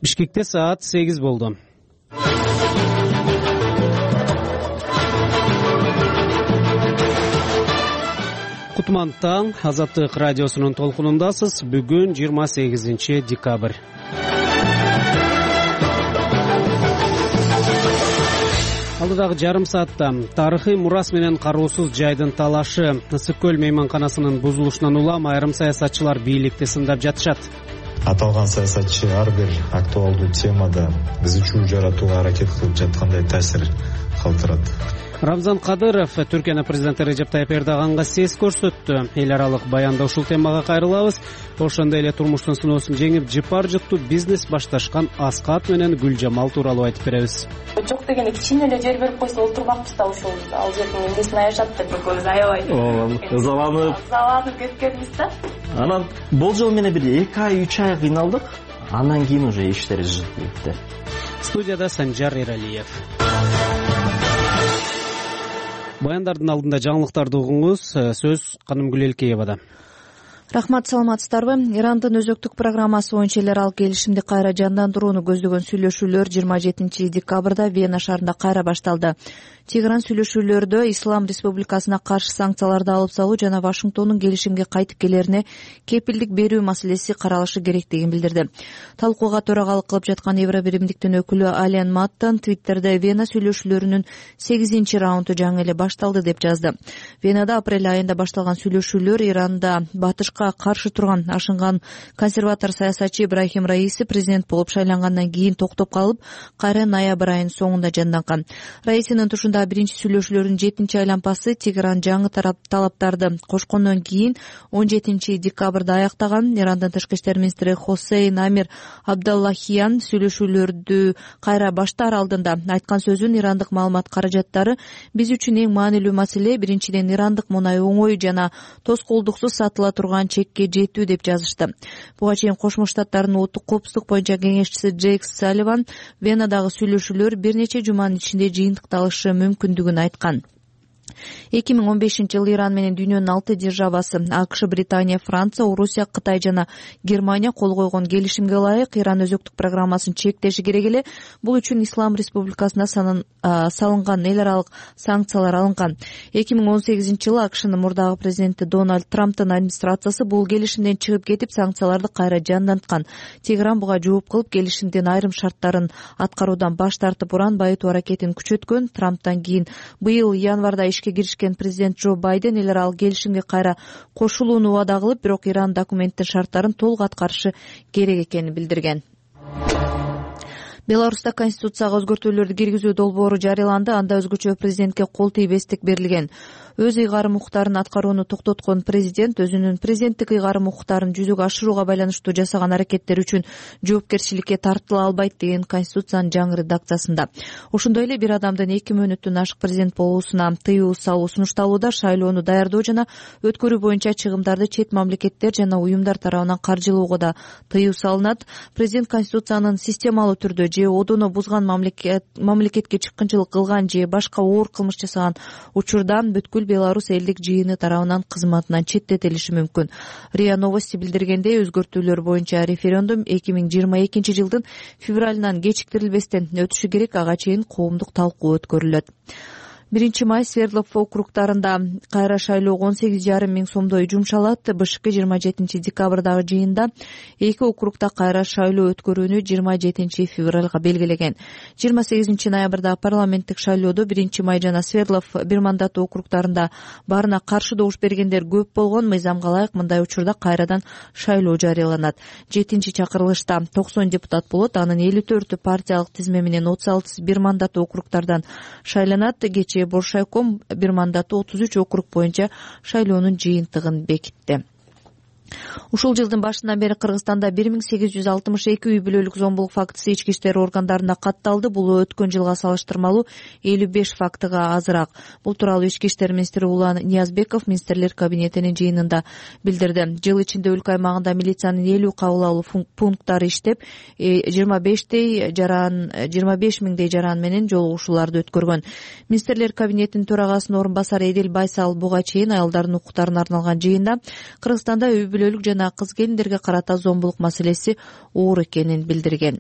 Бишкекте саат 8 болду. Кутман таң, Азаттык радиосунун толкунундасыз. Бүгүн 28 декабрь. Алдыдагы жарым саатта тарыхый мурас менен кароосуз жайдын талашы, Ысык көл мейманканасынын бузулушунан улам айрым саясатчылар бийликти сындап жатышат. Аталган саясатчы ар бир актуалдуу темада ызы чуу жаратууга аракет кылып жаткандай таасир калтырат. Рамзан Кадыров Түркиянын президенти Режеп Тайып Эрдоганга сес көрсөттү. Эл аралык баянда ушул темага кайрылабыз. Ошондой эле турмуштун сыноосун жеңип, жыпар жыктуу бизнес башташкан Аскат менен Гүлжамал тууралуу айтып беребиз. Жок дегенде кичине эле жер берип койсо олтурбакпыз да ушул ал жердин эмнесин аябат деп экөөбүз аябай. Ызаланып кеткенбиз да. Анан болжол менен бир 2 ай 3 ай кыйналдык. Андан кийин уже иштер жылып кетти. Студияда Санжар Эралиев. Баяндардын алдында жаңылыктарды угуңуз. Сөз Канымгүл Элкеевада. Рахмат, саламатсыздарбы? Ирандын өзөктүк программасы боюнча эл аралык келишимди кайра жандандырууну көздөгөн сүйлөшүүлөр 27 декабрда Вена шаарында кайра башталды. Тегеран сүйлөшүүлөрдө Ислам Республикасына каршы санкцияларды алып салуу жана Вашингтондун келишимге кайтып келерине кепилдик берүү маселеси каралышы керектигин билдирди. Талкууга төрагалык кылып жаткан Евробиримдиктин өкүлү Ален Маттан Твиттерде Вена сүйлөшүүлөрүнүн 8 раунду жаңы эле башталды деп жазды. Венада апрель айында башталган сүйлөшүүлөр Иранда батышка каршы турган ашынган консерватор саясатчы Ибрахим Раиси президент болуп шайлангандан кийин токтоп калып, кайра ноябрь айынын соңунда жанданган. Раисинин тушунда биринчи сүйлөшүүлөрүнүн 7 айлампасы Тегеран жаңы талаптарды кошкондон кийин 17 декабрда аяктаган. Ирандын тышкы иштер министри Хосейн Амир Абдаллахиян сүйлөшүүлөрдү кайра баштаар алдында айткан сөзүн ирандык маалымат каражаттары биз үчүн эң маанилүү маселе биринчиден ирандык мунай оңой жана тоскоолдуксуз сатыла турган чекке жетүү деп жазышты. Буга чейин Кошмо Штаттардын улуттук коопсуздук боюнча кеңешчиси Джейк Салливан Венадагы сүйлөшүүлөр бир нече жуманын ичинде жыйынтыкталышы мүмкүндүгүн айткан. 2015-жылы Иран менен дүйнөнүн 6 державасы АКШ, Британия, Франция, Орусия, Кытай жана Германия кол койгон келишимге ылайык Иран өзөктүк программасын чектеши керек эле. Бул үчүн Ислам Республикасына салынган эл аралык санкциялар алынган. 2018-жылы АКШнын мурдагы президенти Дональд Трамптын администрациясы бул келишимден чыгып кетип, санкцияларды кайра жанданткан. Тегеран буга жооп кылып, келишимдин айрым шарттарын аткаруудан баш тартып, уран байытуу аракетин күчөткөн. Трамптан кийин быйыл январда ишке киришкен президент Джо Байден эл аралык келишимге кайра кошулууну убада кылып, бирок Иран документтин шарттарын толук аткарышы керек экенин билдирген. Беларуста конституцияга өзгөртүүлөрдү киргизүү долбоору жарыяланды. Анда өзгөчө президентке кол тийбестик берилген. Өз ыйгарым укуктарын аткарууну токтоткон президент өзүнүн президенттик ыйгарым укуктарын жүзөгө ашырууга байланыштуу жасаган аракеттер үчүн жоопкерчиликке тартыла албайт деген конституциянын жаңы редакциясында. Ошондой эле бир адамдын 2 мөөнөттөн ашык президент болуусуна тыюу салуу сунушталууда. Шайлоону даярдоо жана өткөрүү боюнча чыгымдарды чет мамлекеттер жана уюмдар тарабынан каржылоого да тыюу салынат. Президент конституциянын системалуу түрдө же одону бузган мамлекетке чыккынчылык кылган же башка оор кылмыш жасаган учурдан бүткүл Беларусь элдик жыйыны тарабынан кызматынан четтетилиши мүмкүн. РИА Новости билдиргендей, өзгөртүүлөр боюнча референдум 2022 жылдын февралынан кечиктирилбестен өтүшү керек. Ага чейин коомдук талкуу өткөрүлөт. 1 май Свердлов округдарында кайра шайлоого 18,5 миң сомдой жумшалат. БШК 27 декабрдагы жыйында 2 округда кайра шайлоо өткөрүүнү 27 февралга белгилеген. 28 ноябрда парламенттик шайлоодо 1 май жана Свердлов бир мандаттуу округдарында барына каршы добуш бергендер көп болгон. Мыйзамга ылайык мындай учурда кайрадан шайлоо жарыяланат. 7-чакырылышта 90 депутат болот. Анын 54 партиялык тизме менен 36 бир мандаттуу округдардан шайланат. Кечээ Боршайком бир мандаттуу 33 округ боюнча шайлоонун жыйынтыгын бекитти. Ушул жылдын башынан бери Кыргызстанда 1862 үй бүлөлүк зомбулук фактысы ички иштер органдарында катталды. Бул өткөн жылга салыштырмалуу 55 фактыга азыраак. Бул тууралуу ички иштер министри Улан Ниязбеков министрлер кабинетинин жыйынында билдирди. Жыл ичинде өлкө аймагында милициянын 50 кабыл алуу пункттары иштеп, 25 миңдей жаран менен жолугушууларды өткөргөн. Министрлер кабинетинин төрагасынын орун басары Эдил Байсал буга чейин аялдардын укуктарына арналган жыйында Кыргызстанда үй бүлөлүк жана кыз келиндерге карата зомбулук маселеси оор экенин билдирген.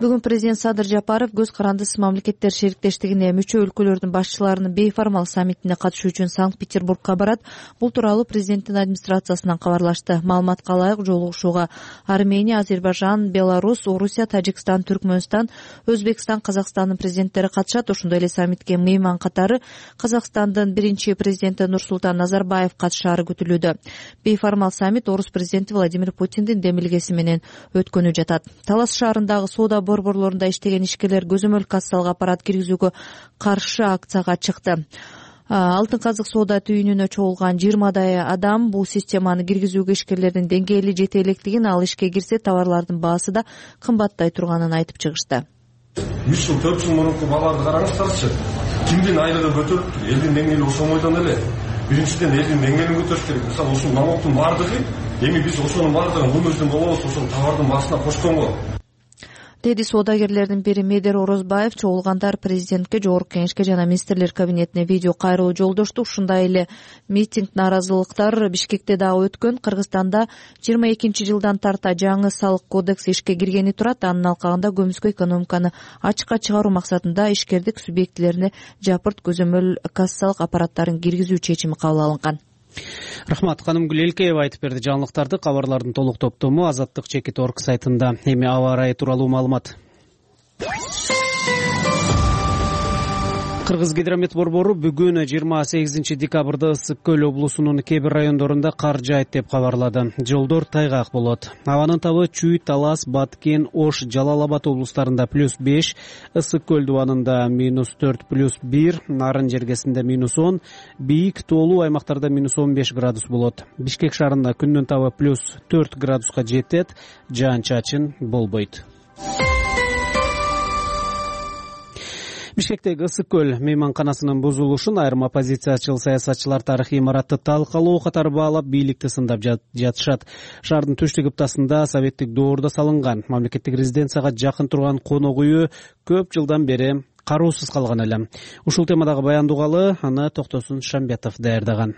Бүгүн президент Садыр Жапаров көз карандысыз мамлекеттер шериктештигине мүчө өлкөлөрдүн башчыларынын бейформал саммитине катышуу үчүн Санкт-Петербургка барат. Бул тууралуу президенттин администрациясынан кабарлашты. Маалыматка ылайык жолугушууга Армения, Азербайжан, Беларусь, Орусия, Тажикстан, Түркмөнстан, Өзбекстан, Казакстандын президенттери катышат. Ошондой эле саммитке мейман катары Казакстандын биринчи президенти Нурсултан Назарбаев катышаары күтүлүүдө. Бейформал саммит орус президенти Владимир Путиндин демилгеси менен өткөнү жатат. Талас шаарындагы соода борборлорунда иштеген ишкерлер көзөмөл кассалык аппарат киргизүүгө каршы акцияга чыкты. Алтын казык соода түйүнүнө чогулган 20дай адам бул системаны киргизүүгө ишкерлердин деңгээли жете электигин, ал ишке кирсе товарлардын баасы да кымбаттай турганын айтып чыгышты. 3 жыл 4 жыл мурунку бааларды караңыздарчы. Кимдин айлыгы көтөрүлүптүр? Элдин деңгээли ошомойдон эле. Биринчиден элдин деңгээлин көтөрүш керек. Мисалы ушул налогдун бардыгы эми биз ошонун бардыгын көмөздөн болобуз, ошол товардын баасына кошконго. Деди соодагерлердин бири Медер Орозбаев. Чогулгандар президентке, жогорку кеңешке жана министрлер кабинетине видео кайрылуу жолдошту. Ушундай эле митинг, нааразылыктар Бишкекте дагы өткөн. Кыргызстанда 22 жылдан тарта жаңы салык кодекси ишке киргени турат. Анын алкагында көмүскө экономиканы ачыкка чыгаруу максатында ишкердик субъектилерине жапырт көзөмөл кассалык аппараттарын киргизүү чечими кабыл алынган. Рахмат. Канымгүл Элкеева айтып берди жаңылыктарды. Кабарлардын толук топтому Азаттык.org сайтында. Эми аба ырайы тууралуу маалымат. Кыргыз гидромет борбору бүгүн 28 декабрда Ысык көл облусунун кээ бир райондорунда кар жаайт деп кабарлады. Жолдор тайгак болот. Абанын табы Чүй, Талас, Баткен, Ош, Жалал Абад облустарында +5, Ысык көл дубанында -4, +1, Нарын жергесинде -10, бийик тоолуу аймактарда -15 градус болот. Бишкек шаарында күндүн табы +4 градуска жетет, жаан-чачын болбойт. Бишкектеги Ысык көл мейманканасынын бузулушун айрым оппозициячыл саясатчылар тарыхый имаратты талкалоо катары баалап, бийликти сындап жатышат. Шаардын түштүк ыптасында советтик доордо салынган мамлекеттик резиденцияга жакын турган конок үйү көп жылдан бери кароосуз калган эле. Ушул темадагы баян дугалы аны Токтосун Шамбетов даярдаган.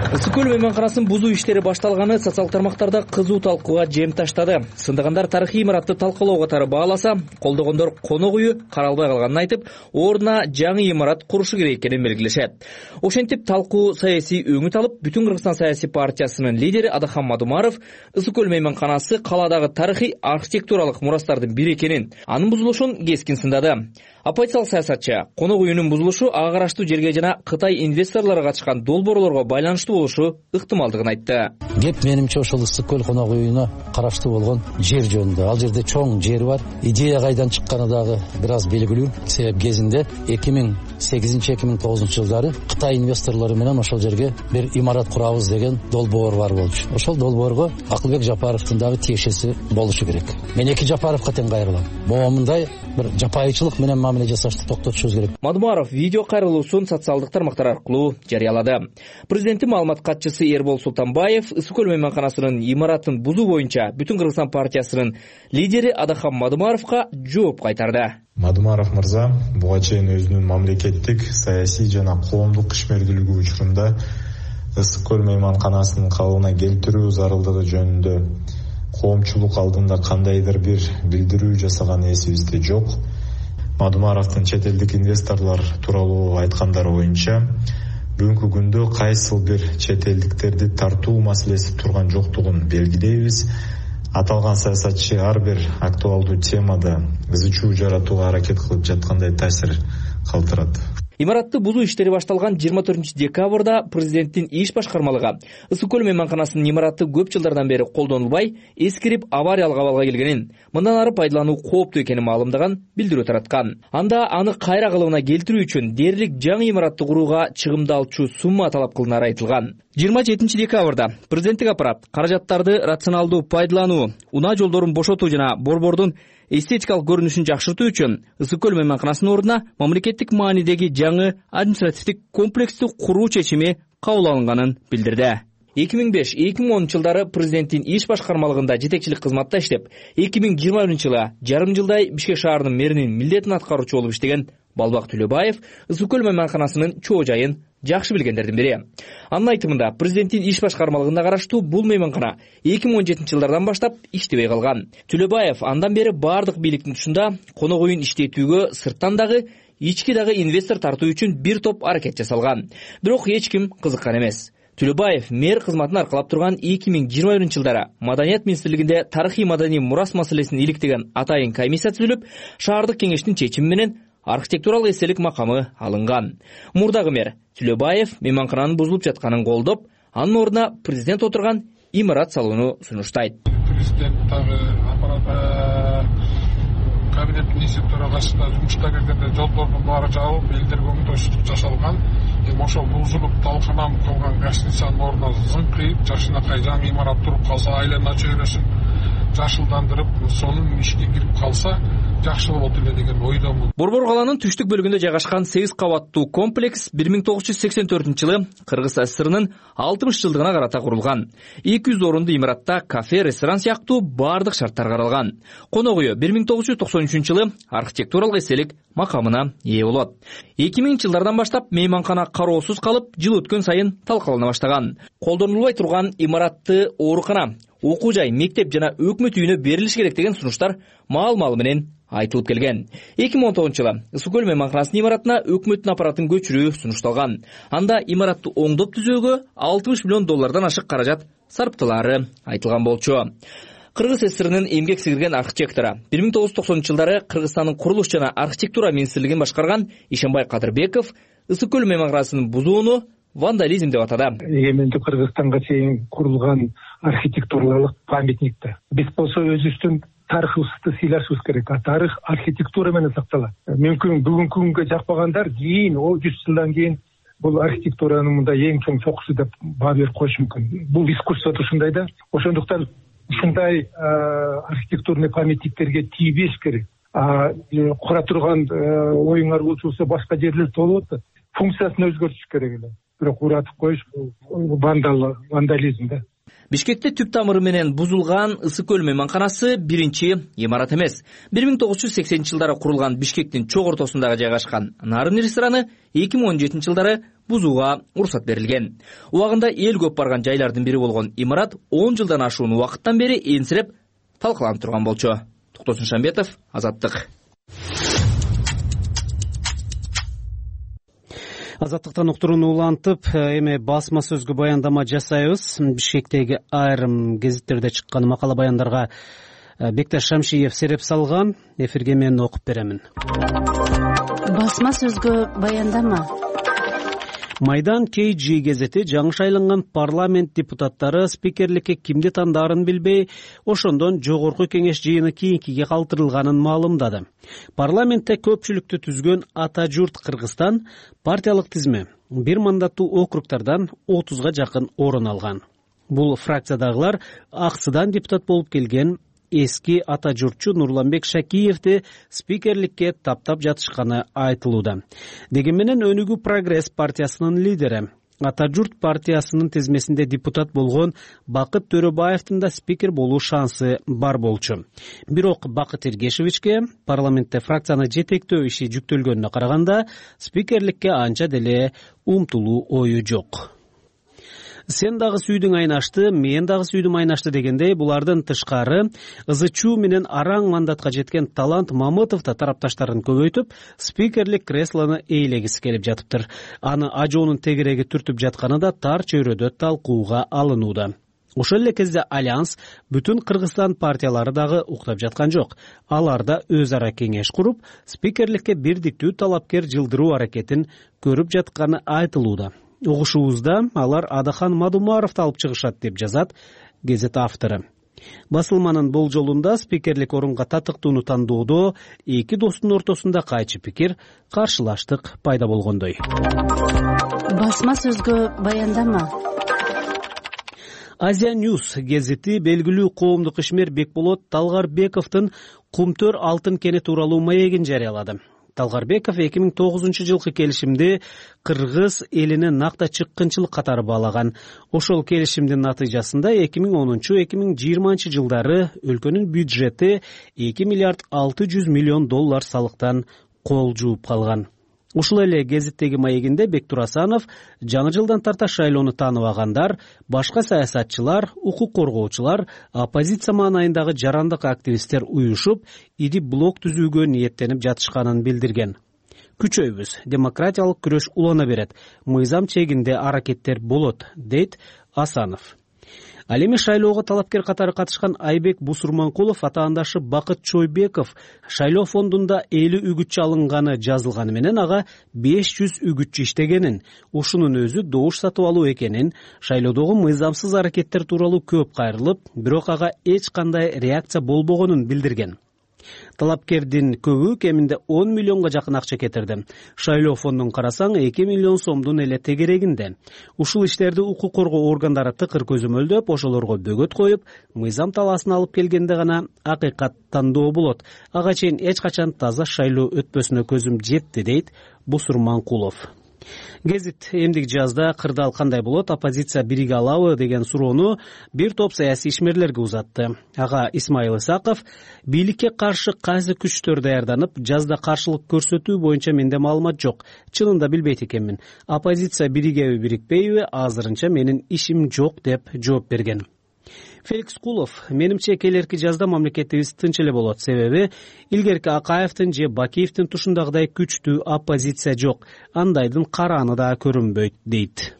Ысык көл мейманканасын бузуу иштери башталганы социалдык тармактарда кызуу талкууга жем таштады. Сындагандар тарыхый имаратты талкалоо катары бааласа, колдогондор конок үйү каралбай калганын айтып, ордуна жаңы имарат курушу керек экенин белгилешет. Ошентип талкуу саясий өңүт алып, Бүтүн Кыргызстан саясий партиясынын лидери Адахам Мадумаров Ысык көл мейманканасы калаадагы тарыхый архитектуралык мурастардын бири экенин, анын бузулушун кескин сындады. Оппозициялык саясатчы конок үйүнүн бузулушу ага караштуу жерге жана Кытай инвесторлору катышкан долбоорлорго байланыштуу болушу ыктымалдыгын айтты. Кеп менимче ошол Ысык көл конок үйүнө караштуу болгон жер жөнүндө. Ал жерде чоң жер бар. Идея кайдан чыкканы дагы бир аз белгилүү. Себеп кезинде 2008-2009 жылдары Кытай инвесторлору менен ошол жерге бир имарат курабыз деген долбоор бар болчу. Ошол долбоорго Акылбек Жапаровдун дагы тиешеси болушу керек. Мен эки Жапаровго тең кайрылам. Момундай бир жапайычылык менен мамиле жасашты токтотушубуз керек. Мадумаров видео кайрылуусун социалдык тармактар аркылуу жарыялады. Президенттин маалымат катчысы Эрбол Султанбаев Ысык көл мейманканасынын имаратын бузуу боюнча Бүтүн Кыргызстан партиясынын лидери Адахам Мадумаровго жооп кайтарды. Мадумаров мырза буга чейин өзүнүн мамлекеттик, саясий жана коомдук ишмердүүлүгү учурунда Ысык көл мейманканасынын калыбына келтирүү зарылдыгы жөнүндө коомчулук алдында кандайдыр бир билдирүү жасаган эсибизде жок. Мадумаровдун чет элдик инвесторлор тууралуу айткандары боюнча бүгүнкү күндө кайсыл бир чет элдиктерди тартуу маселеси турган жоктугун белгилейбиз. Аталган саясатчы ар бир актуалдуу темада ызы чуу жаратууга аракет кылып жаткандай таасир калтырат. Имаратты бузуу иштери башталган 24 декабрда президенттин иш башкармалыгы Ысык көл мейманканасынын имараты көп жылдардан бери колдонулбай, эскирип авариялык абалга келгенин, мындан ары пайдалануу кооптуу экенин маалымдаган билдирүү тараткан. Анда аны кайра калыбына келтирүү үчүн дээрлик жаңы имаратты курууга чыгымдалчу сумма талап кылынары айтылган. 27 декабрда президенттик аппарат каражаттарды рационалдуу пайдалануу, унаа жолдорун бошотуу жана борбордун эстетикалык көрүнүшүн жакшыртуу үчүн Ысык көл мейманканасынын ордуна мамлекеттик маанидеги жаңы административдик комплексти куруу чечими кабыл алынганын билдирди. 2005-2010 жылдары президенттин иш башкармалыгында жетекчилик кызматта иштеп, 2021 жылы жарым жылдай Бишкек шаарынын мэринин милдетин аткаруучу болуп иштеген Балбак Төлөбаев Ысык көл мейманканасынын чоо жайын жакшы билгендердин бири. Анын айтымында президенттин иш башкармалыгына караштуу бул мейманкана 2017-жылдардан баштап иштебей калган. Төлөбаев андан бери бардык бийликтин тушунда конок үйүн иштетүүгө сырттан дагы ички дагы инвестор тартуу үчүн бир топ аракет жасалган. Бирок эч ким кызыккан эмес. Төлөбаев мэр кызматын аркалап турган 2021-жылдары Маданият министрлигинде тарыхый маданий мурас маселесин иликтеген атайын комиссия түзүлүп, шаардык кеңештин чечими менен архитектуралык эстелик макамы алынган. Мурдагы мэр Төлөбаев мейманкананын бузулуп жатканын колдоп, анын ордуна президент отурган имарат салууну сунуштайт. Президент дагы кабинет министр төрагасына жумушта келгенде жолдордун баары жабылып, элдерге оңдойсуздук жасалган. Ошол бузулуп талканам калган гостиницанын ордуна зыңкыйып, жашынакай жаңы имарат туруп калса, айлана чөйрөсүн жашылдандырып, сонун ишке кирип калса, жакшы болот эле деген ойдомун. Борбор калаанын түштүк бөлүгүндө жайгашкан 8 кабаттуу комплекс 1984-жылы Кыргыз ССРнын 60 жылдыгына карата курулган. 200 орунду имаратта кафе, ресторан сыяктуу бардык шарттар каралган. Конок үйү 1993-жылы архитектуралык эстелик макамына ээ болот. 2000-жылдардан баштап мейманкана кароосуз калып, жыл өткөн сайын талкалана баштаган. Колдонулбай турган имаратты оорукана, окуу жай, мектеп жана өкмөт үйүнө берилиш керек деген сунуштар маал-маалы менен айтылып келген. 2019-жылы Ысык көл мейманканасынын имаратына өкмөттүн аппаратын көчүрүү сунушталган. Анда имаратты оңдоп түзөөгө $60 миллион ашык каражат сарптылары айтылган болчу. Кыргыз ССРнын эмгек сиңирген архитектору 1990-жылдары Кыргызстандын курулуш жана архитектура министрлигин башкарган Ишенбай Кадырбеков Ысык көл мейманканасынын бузууну вандализм деп атады. Эгемендүү Кыргызстанга чейин курулган архитектуралык памятникти биз болсо өзүбүздүн тарыхыбызды сыйлашыбыз керек. Тарых архитектура менен сакталат. Мүмкүн бүгүнкү күнгө жакпагандар кийин 100 жылдан кийин бул архитектуранын мында эң чоң чокусу деп баа берип коюшу мүмкүн. Бул искусството ушундай да. Ошондуктан ушундай архитектурный памятниктерге тийбеш керек. Кура турган оюңар болчу башка жерлер болуп атат. Функциясын өзгөртүш керек эле. Бирок уратып коюш бул вандализм да. Бишкекте түп тамыры менен бузулган Ысык көл мейманканасы биринчи имарат эмес. 1980-жылдары курулган Бишкектин чок ортосундагы жайгашкан Нарын рестораны 2017-жылдары бузууга уруксат берилген. Убагында эл көп барган жайлардын бири болгон имарат 10 жылдан ашуун убакыттан бери энсиреп талкаланып турган болчу. Токтосун Шамбетов, Азаттык. Азаттыктан уктурууну улантып, эми басма сөзгө баяндама жасайбыз. Бишкектеги айрым гезиттерде чыккан макала баяндарга Бекташ Шамшиев сереп салган. Эфирге мен окуп беремин. Басма сөзгө баяндама. Майдан KG гезети жаңы шайланган парламент депутаттары спикерликке кимди тандаарын билбей, ошондон жогорку кеңеш жыйыны кийинкиге калтырылганын маалымдады. Парламентте көпчүлүктү түзгөн Ата журт Кыргызстан партиялык тизме бир мандаттуу округдардан 30га жакын орун алган. Бул фракциядагылар аксыдан депутат болуп келген эски ата журтчу Нурланбек Шакиевди спикерликке таптап жатышканы айтылууда. Дегени менен Өнүгүү Прогресс партиясынын лидери, Ата журт партиясынын тизмесинде депутат болгон Бакыт Төрөбаевдин да спикер болуу шансы бар болчу. Бирок Бакыт Эргешевичке парламентте фракцияны жетектөө иши жүктөлгөнүнө караганда спикерликке анча деле умтулуу ою жок. Сен дагы сүйдүң айнашты, мен дагы сүйдүм айнашты дегендей, булардын тышкары ызычуу менен араң мандатка жеткен Талант Мамытов да тарапташтарын көбөйтүп, спикерлик креслону ээлегиси келип жатыптыр. Аны ажоонун тегереги түртүп жатканы да тар чөйрөдө талкууга алынууда. Ошол эле кезде Альянс бүтүн Кыргызстан партиялары дагы уктап жаткан жок. Алар да өз ара кеңеш куруп, спикерликке бирдиктүү талапкер жылдыруу аракетин көрүп жатканы айтылууда. Угушуубузда алар Адахан Мадумаровду алып чыгышат деп жазат гезет автору. Басылманын болжолунда спикерлик орунга татыктууну тандоодо эки достун ортосунда кайчы пикир, каршылаштык пайда болгондой. Басма сөзгө баяндама. Азия Ньюс гезити белгилүү коомдук ишмер Бекболот Талгарбековдун Кумтөр алтын кени тууралуу маегин жарыялады. Талгарбеков 2009-жылкы келишимди Кыргыз элине накта чыккынчылык катары баалаган. Ошол келишимдин натыйжасында 2010-2020 жылдары өлкөнүн бюджети $2,6 миллиард салыктан кол жууп калган. Ушул эле гезиттеги маегинде Бектур Асанов жаңы жылдан тарта шайлоону тааныбагандар, башка саясатчылар, укук коргоочулар, оппозиция маанайындагы жарандык активисттер уюшуп, ири блок түзүүгө ниеттенип жатышканын билдирген. Күчөйбүз, демократиялык күрөш улана берет, мыйзам чегинде аракеттер болот, дейт Асанов. Ал эми шайлоого талапкер катары катышкан Айбек Бусурманкулов атаандашы Бакыт Чойбеков шайлоо фондунда 50 үгүтчү алынганы жазылганы менен ага 500 үгүтчү иштегенин, ушунун өзү добуш сатып алуу экенин, шайлоодогу мыйзамсыз аракеттер тууралуу көп кайрылып, бирок ага эч кандай реакция болбогонун билдирген. Талапкердин көбү кеминде 10 миллионго жакын акча кетирди. Шайлоо фондун карасаң 2 миллион сомдун эле тегерегинде. Ушул иштерди укук коргоо органдары тыкыр көзөмөлдөп, ошолорго бөгөт коюп, мыйзам талаасын алып келгенде гана акыйкат тандоо болот. Ага чейин эч качан таза шайлоо өтпөсүнө көзүм жетти, дейт Бусурманкулов. Гезит эмдик жазда кырдаал кандай болот, оппозиция бириге алабы деген суроону бир топ саясий ишмерлерге узатты. Ага Исмаил Исаков бийликке каршы кайсы күчтөр даярданып, жазда каршылык көрсөтүү боюнча менде маалымат жок. Чынында билбейт экенмин. Оппозиция биригеби, бирикпейби, азырынча менин ишим жок деп жооп берген. Феликс Кулов: менимче келерки жазда мамлекетибиз тынч эле болот, себеби илгерки Акаевдин же Бакиевдин тушундагыдай күчтүү оппозиция жок, андайдын карааны да көрүнбөйт, дейт.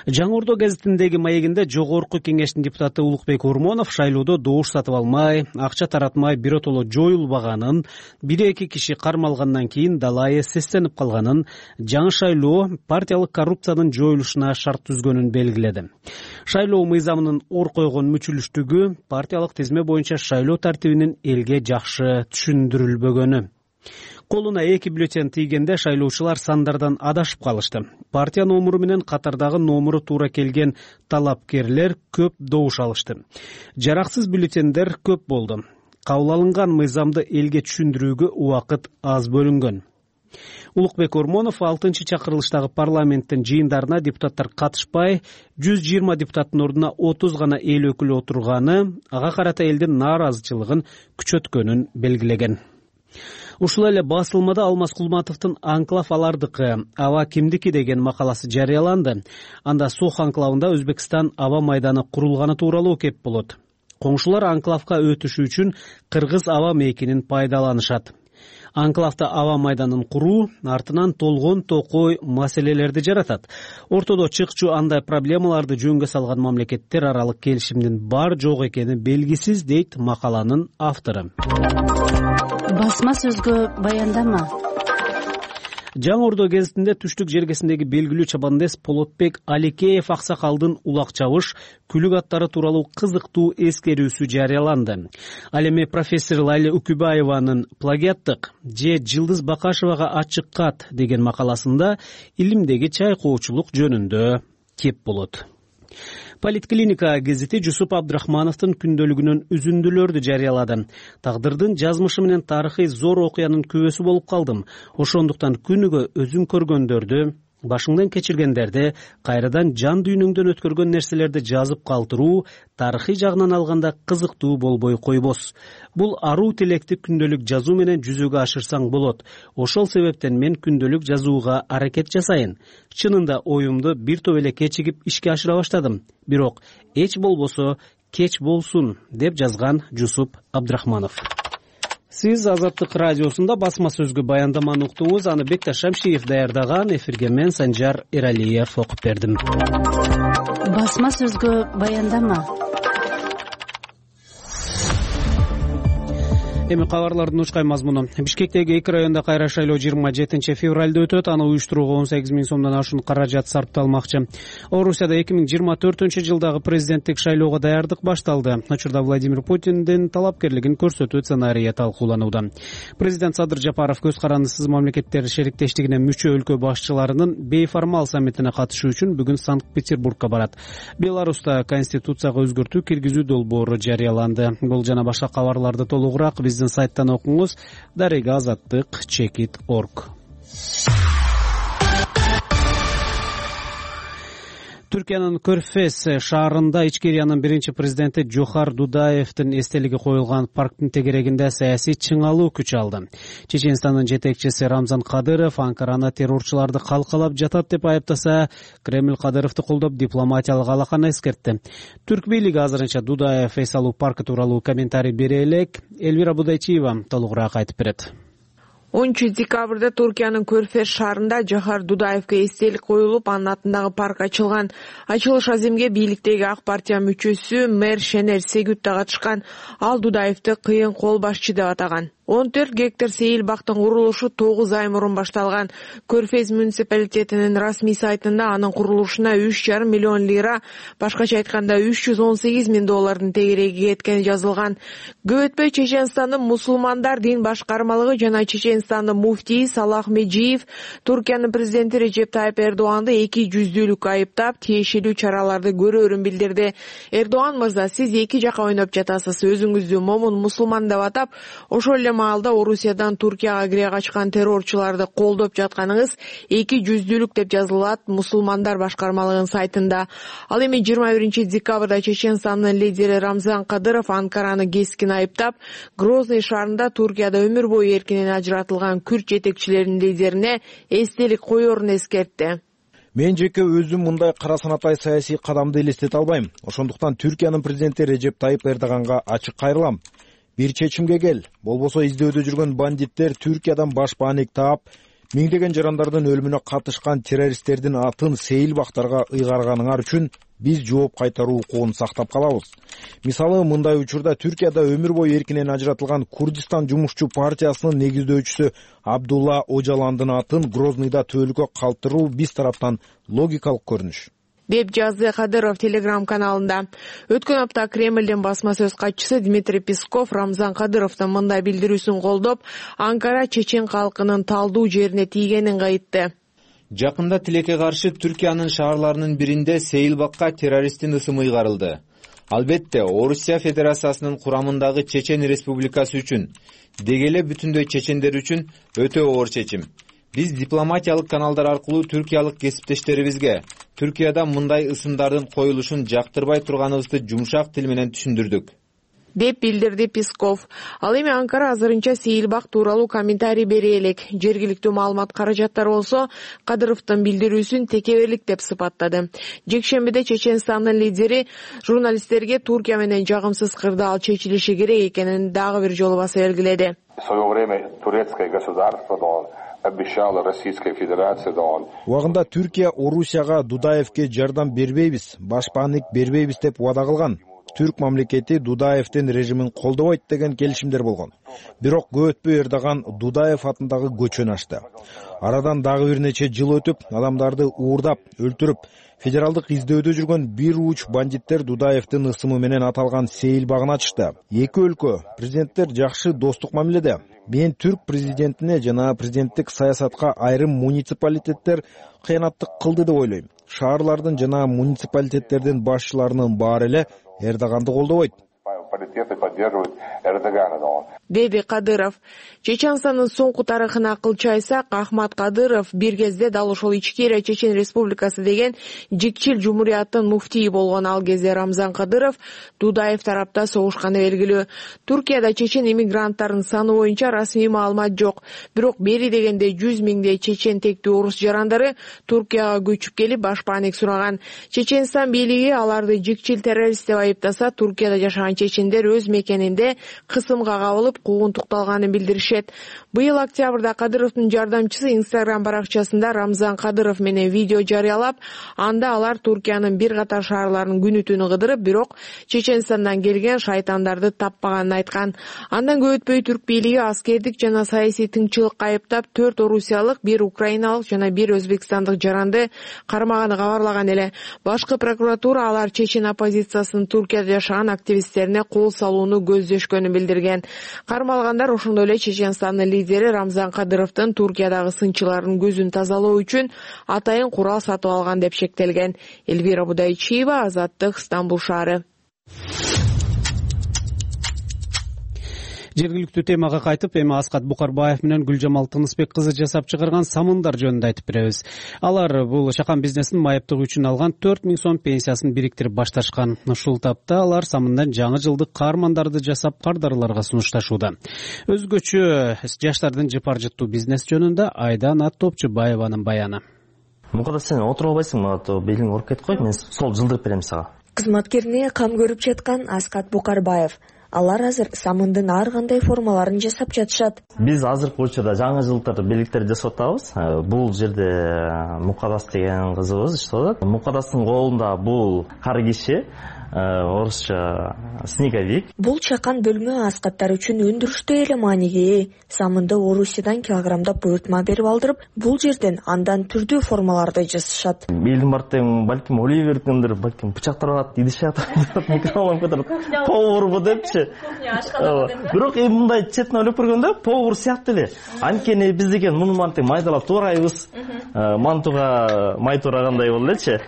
Жаңы Ордо гезитиндеги маегинде Жогорку Кеңештин депутаты Улукбек Ормонов шайлоодо добуш сатып алмай, акча таратмай биротоло жоюлбаганын, 1-2 киши кармалгандан кийин далайы сестенип калганын, жаңы шайлоо партиялык коррупциянын жоюлушуна шарт түзгөнүн белгиледи. Шайлоо мыйзамынын ор койгон мүчүлүштүгү партиялык тизме боюнча шайлоо тартибинин элге жакшы түшүндүрүлбөгөнү. Колуна 2 бюллетен тийгенде шайлоочулар сандардан адашып калышты. Партия номуру менен катардагы номуру туура келген талапкерлер көп добуш алышты. Жараксыз бюллетендер көп болду. Кабыл алынган мыйзамды элге түшүндүрүүгө убакыт аз бөлүнгөн. Улукбек Ормонов 6-чакырылыштагы парламенттин жыйындарына депутаттар катышпай, 120 депутаттын ордуна 30 гана эл өкүлү отурганы, ага карата элдин нааразычылыгын күчөткөнүн белгилеген. Ушул эле басылмада Алмаз Кулматовдун «Анклав алардыкы, аба кимдики» деген макаласы жарыяланды. Анда Сох анклавында Өзбекстан аба майданы курулганы тууралуу кеп болот. Коңшулар анклавга өтүшү үчүн кыргыз аба мейкинин пайдаланышат. Анклавда аба майданын куруу артынан толгон токой маселелерди жаратат. Ортодо чыкчу андай проблемаларды жөнгө салган мамлекеттер аралык келишимдин бар жок экени белгисиз, дейт макаланын автору. Басма сөзгө баяндама. Жаңы Ордо гезитинде түштүк жергесиндеги белгилүү чабандес Полотбек Аликеев аксакалдын улак чабыш, күлүк аттары тууралуу кызыктуу эскерүүсү жарыяланды. Ал эми профессор Лайла Үкүбаеванын «Плагиаттык же Жылдыз Бакашевага ачык кат» деген макаласында илимдеги чайкоочулук жөнүндө кеп болот. Политклиника гезити Жусуп Абдрахмановдун күндөлүгүнөн үзүндүлөрдү жарыялады. Тагдырдын жазмышы менен тарыхый зор окуянын күбөсү болуп калдым. Ошондуктан күнүгө өзүм көргөндөрдү, башыңдан кечиргендерди, кайрадан жан дүйнөңдөн өткөргөн нерселерди жазып калтыруу тарыхый жагынан алганда кызыктуу болбой койбос. Бул аруу тилекти күндөлүк жазуу менен жүзөгө ашырсаң болот. Ошол себептен мен күндөлүк жазууга аракет жасайын. Чынында оюмду бир топ эле кечигип ишке ашыра баштадым. Бирок эч болбосо кеч болсун, деп жазган Жусуп Абдрахманов. Сиз Азаттык радиосунда басма сөзгө баяндаманы уктуңуз. Аны Бекташ Шамшиев даярдаган. Эфирге мен Санжар Эралиев окуп бердим. Басма сөзгө баяндама. Эми кабарлардын учкай мазмуну. Бишкектеги 2 районда кайра шайлоо 27 февралда өтөт. Аны уюштурууга 18 000 сомдон ашуун каражат сарпталмакчы. Орусияда 2024-жылдагы президенттик шайлоого даярдык башталды. Учурда Владимир Путиндин талапкерлигин көрсөтүү сценарийи талкууланууда. Президент Садыр Жапаров көз карандысыз мамлекеттер шериктештигине мүчө өлкө башчыларынын бейформал саммитине катышуу үчүн бүгүн Санкт-Петербургка барат. Беларуста конституцияга өзгөртүү киргизүү долбоору жарыяланды. Бул жана башка кабарларды толугураак биздин сайттан окуңуз. Дарега Азаттык.org. Түркиянын Көрфез шаарында Ичкериянын биринчи президенти Жохар Дудаевдин эстелиги коюлган парктын тегерегинде саясий чыңалуу күч алды. Чеченстандын жетекчиси Рамзан Кадыров Анкараны террорчуларды калкалап жатат деп айыптаса, Кремль Кадыровду колдоп дипломатиялык алаканы эскертти. Түрк бийлиги азырынча Дудаев эс алуу паркы тууралуу комментарий бере элек. Элвира Будайчиева толугураак айтып берет. 10 декабрда Туркиянын Көрфез шаарында Жохар Дудаевге эстелик коюлуп, анын атындагы парк ачылган. Ачылыш аземге бийликтеги ак партия мүчөсү мэр Шенер Сегют да катышкан. Ал Дудаевди кыйын кол башчы деп атаган. 14 гектар сейил бактын курулушу 9 ай мурун башталган. Көрфез муниципалитетинин расмий сайтында анын курулушуна 3,5 миллион лира, башкача айтканда 318 миң доллардын тегереги кеткени жазылган. Көп өтпөй Чеченстандын мусулмандар дин башкармалыгы жана Чеченстандын муфтии Салах Меджиев Туркиянын президенти Режеп Тайып Эрдоганды 200-дүүлүк айыптап, тиешелүү чараларды көрөөрүн билдирди. Эрдоган мырза, сиз эки жака ойноп жатасыз, өзүңүздү момун мусулман деп атап, ошол эле маалда Орусиядан Туркияга кире качкан террорчуларды колдоп жатканыңыз 200-дүүлүк деп жазылат мусулмандар башкармалыгынын сайтында. Ал эми 21 декабрда Чеченстандын лидери Рамзан Кадыров Анкараны кескин айыптап, Грозный шаарында Туркияда өмүр бою эркинен ажыратылган күрд жетекчилеринин лидерине эстелик коёрун эскертти. Мен жеке өзүм мындай кара санатай саясий кадамды элестете албайм. Ошондуктан Түркиянын президенти Режеп Тайып Эрдоганга ачык кайрылам. Бир чечимге кел. Болбосо издөөдө жүргөн бандиттер Түркиядан баш бааник таап, миңдеген жарандардын өлүмүнө катышкан террористтердин атын сейил бактарга ыйгарганыңар үчүн биз жооп кайтаруу укугун сактап калабыз. Мисалы, мындай учурда Түркияда өмүр бою эркинен ажыратылган Курдистан жумушчу партиясынын негиздөөчүсү Абдулла Ожаландын атын Грознийда төөлүккө калтыруу биз тараптан логикалык көрүнүш, деп жазды Кадыров Телеграм каналында. Өткөн апта Кремлдин басма сөз катчысы Дмитрий Песков Рамзан Кадыровдун мындай билдирүүсүн колдоп, Анкара чечен калкынын талдуу жерине тийгенин айтты. Жакында тилекке каршы Түркиянын шаарларынын биринде сейилбакка террористтин ысымы ыйгарылды. Албетте, Орусия Федерациясынын курамындагы Чечен Республикасы үчүн, деги эле бүтүндөй чечендер үчүн өтө оор чечим. Биз дипломатиялык каналдар аркылуу түркиялык кесиптештерибизге Түркияда мындай ысымдардын коюлушун жактырбай турганыбызды жумшак тил менен түшүндүрдүк, деп билдирди Песков. Ал эми Анкара азырынча сейилбак тууралуу комментарий бере элек. Жергиликтүү маалымат каражаттары болсо Кадыровдун билдирүүсүн текеберлик деп сыпаттады. Жекшембиде Чеченстандын лидери журналисттерге Туркия менен жагымсыз кырдаал чечилиши керек экенин дагы бир жолу баса белгиледи. Убагында Түркия Орусияга Дудаевге жардам бербейбиз, баш бааник бербейбиз деп убада кылган. Түрк мамлекети Дудаевдин режимин колдобойт деген келишимдер болгон. Бирок көп өтпөй Эрдоган Дудаев атындагы көчөнү ачты. Арадан дагы бир нече жыл өтүп, адамдарды уурдап, өлтүрүп, федералдык издөөдө жүргөн бир уч бандиттер Дудаевдин ысымы менен аталган сейил багын ачышты. Эки өлкө президенттер жакшы достук мамиледе. Мен түрк президентине жана президенттик саясатка айрым муниципалитеттер кыянаттык кылды деп ойлойм. Шаарлардын жана муниципалитеттердин башчыларынын баары эле Эрдоганды колдобойт, деди Кадыров. Чеченстандын соңку тарыхына кылчы айтсак, Ахмат Кадыров бир кезде дал ошол Ичкерия Чечен Республикасы деген жикчил жумурияттын муфтии болгон. Ал кезде Рамзан Кадыров Дудаев тарапта согушканы белгилүү. Туркияда чечен иммигранттардын саны боюнча расмий маалымат жок. Бирок бери дегенде 100 миңдей чечен тектүү орус жарандары Туркияга көчүп келип баш бааник сураган. Чеченстан бийлиги аларды жикчил террорист деп айыптаса, Туркияда жашаган чечендер өз мекенинде кысымга кабылып куугунтукталганын билдиришет. Быйыл октябрда Кадыровдун жардамчысы Instagram баракчасында Рамзан Кадыров менен видео жарыялап, анда алар Туркиянын бир катар шаарларын күнү түнү кыдырып, бирок Чеченстандан келген шайтандарды таппаганын айткан. Андан көп өтпөй түрк бийлиги аскердик жана саясий тынччылыкка айыптап, 4 орусиялык, 1 украиналык жана 1 өзбекстандык жаранды кармаганы кабарлаган эле. Башкы прокуратура алар чечен оппозициясынын Туркияда жашаган активисттерине кол салууну көздөшкөнүн билдирген. Кармалгандар ошондой эле Чеченстандын лидери Рамзан Кадыровдун Туркиядагы сынчылардын көзүн тазалоо үчүн атайын курал сатып алган деп шектелген. Элвира Будайчиева, Азаттык, Стамбул шаары. Жергиликтүү темага кайтып, эми Аскат Букарбаев менен Гүлжамал Тынысбек кызы жасап чыгарган самындар жөнүндө айтып беребиз. Алар бул чакан бизнесин майыптыгы үчүн алган 4000 сом пенсиясын бириктирип башташкан. Ушул тапта алар самындан жаңы жылдык каармандарды жасап кардарларга сунушташууда. Өзгөчө жаштардын жыпар жыттуу бизнес жөнүндө Айдана Топчубаеванын баяны. Мукада сен отуруп албайсың, белиң ооруп кетип койт, мен сол жылдырып берем сага. Кызматкерине кам көрүп жаткан Аскат Букарбаев. Алар азыр самындын ар кандай формаларын жасап жатышат. Биз азыркы учурда жаңы жылдык белектерди жасап атабыз. Бул жерде Мукадас деген кызыбыз иштеп атат. Мукадастын колунда бул кар киши, орусча снеговик. Бул чакан бөлмө аскаттар үчүн өндүрүштө эле мааниге. Самынды Орусиядан килограммдап буйртма берип алдырып, бул жерден андан түрдүү формаларды жасашат. Элдин бартын балким Оливердиндир, балким бычактар алат, идише атат, микрофон көтөрүп, поварбы депчи. Бирок мындай четин ойлоп көргөндө повар сыяктуу эле. Анткени биз деген муну мантип майдалап туурайбыз. Мантуга май туурагандай болду элечи.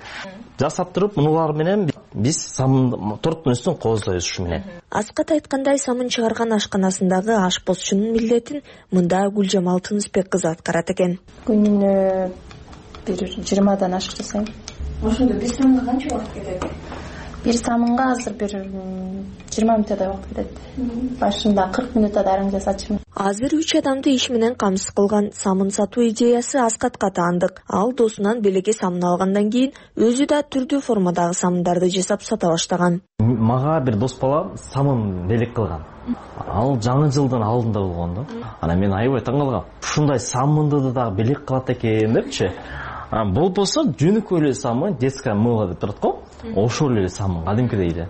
Жасап туруп, мунулар менен биз самын торттун үстүн кооздойбуз ушу менен. Аскат айткандай, самын чыгарган ашканасындагы ашпозчунун милдетин мында Гүлжамал Тынысбек кызы аткарат экен. Күнүнө бир 20дан ашык жасайм. Ошондо бир самынга канча убакыт кетет? Бир самынга азыр бир 20 мүнөттөй убакыт кетет. Башында 40 мүнөттө дарың жасачумун. Азыр 3 адамды иш менен камсыз кылган самын сатуу идеясы Аскатка таандык. Ал досунан белекке самын алгандан кийин өзү да түрдүү формадагы самындарды жасап сата баштаган. Мага бир дос бала самын белек кылган. Ал жаңы жылдын алдында болгон да. Ана мен аябай таң калгам. Ушундай самынды да белек кылат экен депчи. Болбосо жөнөкөй эле самын, детская мыло деп турат го. Ошол эле самын, кадимкидей эле.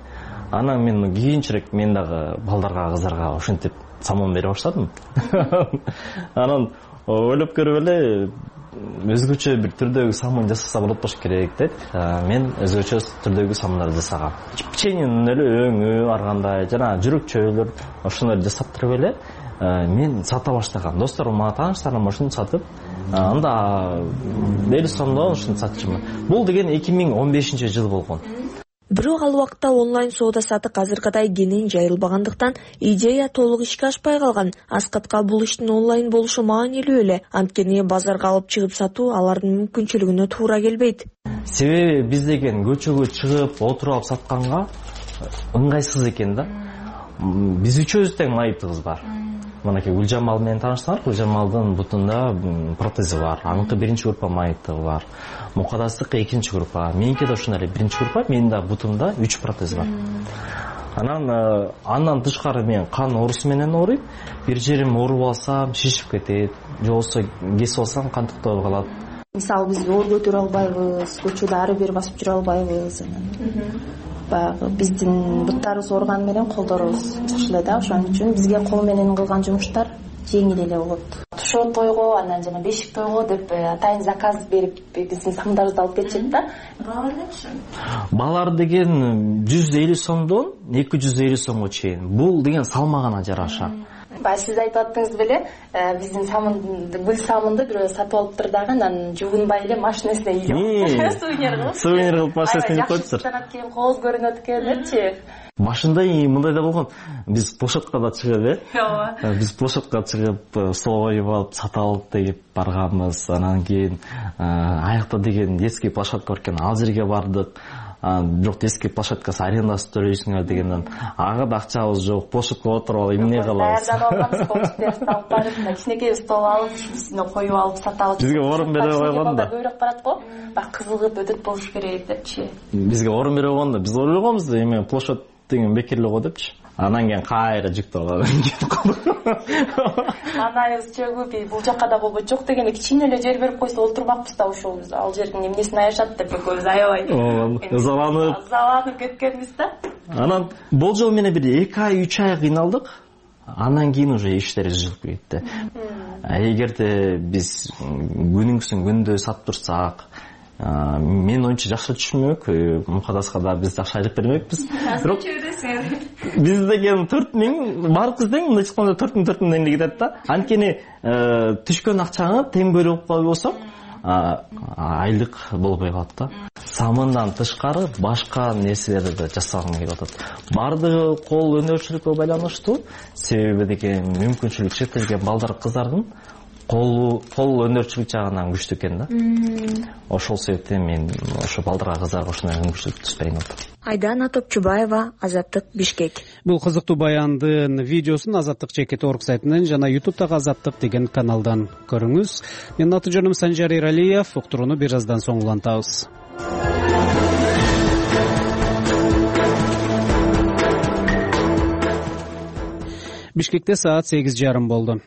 Анан мен кийинчерээк мен дагы балдарга, кыздарга ошентип самын бере баштадым. Анан ойлоп көрүп эле өзгөчө бир түрдөгү самын жасаса болот болуш керек деп, мен өзгөчө түрдөгү самындарды жасагам. Печеньенин эле өңү, ар кандай жана жүрөкчөлөр ошондой жасап туруп эле мен сата баштагам. Досторум, тааныштарым ошону сатып, анда 50 сомдон ушуну сатчумун. Бул деген 2015-жыл болгон. Бирок ал убакта онлайн соода сатык азыркыдай кенен жайылбагандыктан идея толук ишке ашпай калган. Аскатка бул иштин онлайн болушу маанилүү эле. Анткени базарга алып чыгып сатуу алардын мүмкүнчүлүгүнө туура келбейт. Себеби биз деген көчөгө чыгып отуруп алып сатканга ыңгайсыз экен да. Биз үчөөбүз тең майыптыгыбыз бар. Мынакей Гүлжамал менен тааныштыңар. Гүлжамалдын бутунда протези бар. Аныкы биринчи группа майыптыгы бар. Мукадастыкы экинчи группа. Меники да ошондой эле биринчи группа. Менин да бутумда 3 протез бар. Андан тышкары мен кан оорусу менен ооруйм. Бир жерим ооруп алсам шишип кетет. Же болбосо кесип алсам кан токтоп калат. Мисалы биз оор көтөрө албайбыз, көчөдө ары бери басып жүрө албайбыз. Баягы биздин буттарыбыз ооруган менен колдорубуз жакшы эле да. Ошон үчүн бизге кол менен кылган жумуштар жеңил эле болот. Тушот тойго, анан жана бешик тойго деп атайын заказ берип биздин самындарыбызды алып кетишет да. Баалар деген 150 сомдон 250 сомго чейин. Бул деген салмагына жараша. Сиз айтып аттыңыз беле, биздин гүл самынды бирөө сатып алыптыр дагы, анан жуунбай эле машинесине ийип сувенир кылып машинесине ийип коюптур. Жакшыраак кийин кооз көрүнөт экен депчи. Башында мындай да болгон. Биз площадка да чыгып, биз площадка чыгып, стол коюп алып, сата алып деп барганбыз. Анан кийин аякта деген детский площадка бар экен, ал жерге бардык. Бирок детский площадкасы арендасы төлөйсүңөр дегенден ага да акчабыз жок, площадка отуруп алып эмне кылабыз? Даярданып алып барып, кичинекей стол алып, үстүнө коюп алып сатабыз. Бизге орун бере койгон да. Көйрөк барат го, бак кызыгып өтөт болуш керек депчи. Бизге орун бере койгон да. Биз ойлогонбуз да, эме площадь деген бекерлик го депчи. Анан кийин кайра жүктөп алган. Анайыбыз чөгүп, бул жакка да болбойт, жок дегенде кичине эле жер берип койсо олтурмакпыз да, ошол биз ал жердин эмнесин аяшат деп экөөбүз аябай. Ызаланып кеткенбиз да. Анан болжол менен бир 2 ай 3 ай кыйналдык. Андан кийин уже иштер жылып кетти. Эгерде биз күнүңсүн күндө сатып турсак, мен оюнча жакшы түшүнмөк, Мукадаска да биз жакшы айрып бермекпиз. Бирок биз деген 4000 баарыбыз тең, мындай айтканда 4000 эле кетет да. Анткени түшкөн акчаны тең бөлүп койбосок, айлык болбой калат да. самындан тышкары башка нерселерди да жасагым келип атат. Бардыгы кол өнөрчүлүккө байланыштуу, себеби деги мүмкүнчүлүк чектелген балдар кыздардын кол өнөрчүлүк жагынан күчтүү экен да. Ошол себептен мен ошо балдарга кыздарга ушундай мүмкүнчүлүк түспөйм атат. Айдана Топчубаева, Азаттык, Бишкек. Бул кызыктуу баяндын видеосун Азаттык Чекит.org сайтынан жана YouTube'дагы Азаттык деген каналдан көрүңүз. Менин аты жөнүм Санжар Эралиев. Уктурууну бир аздан соң улантабыз. Бишкекте саат 8:30 болду.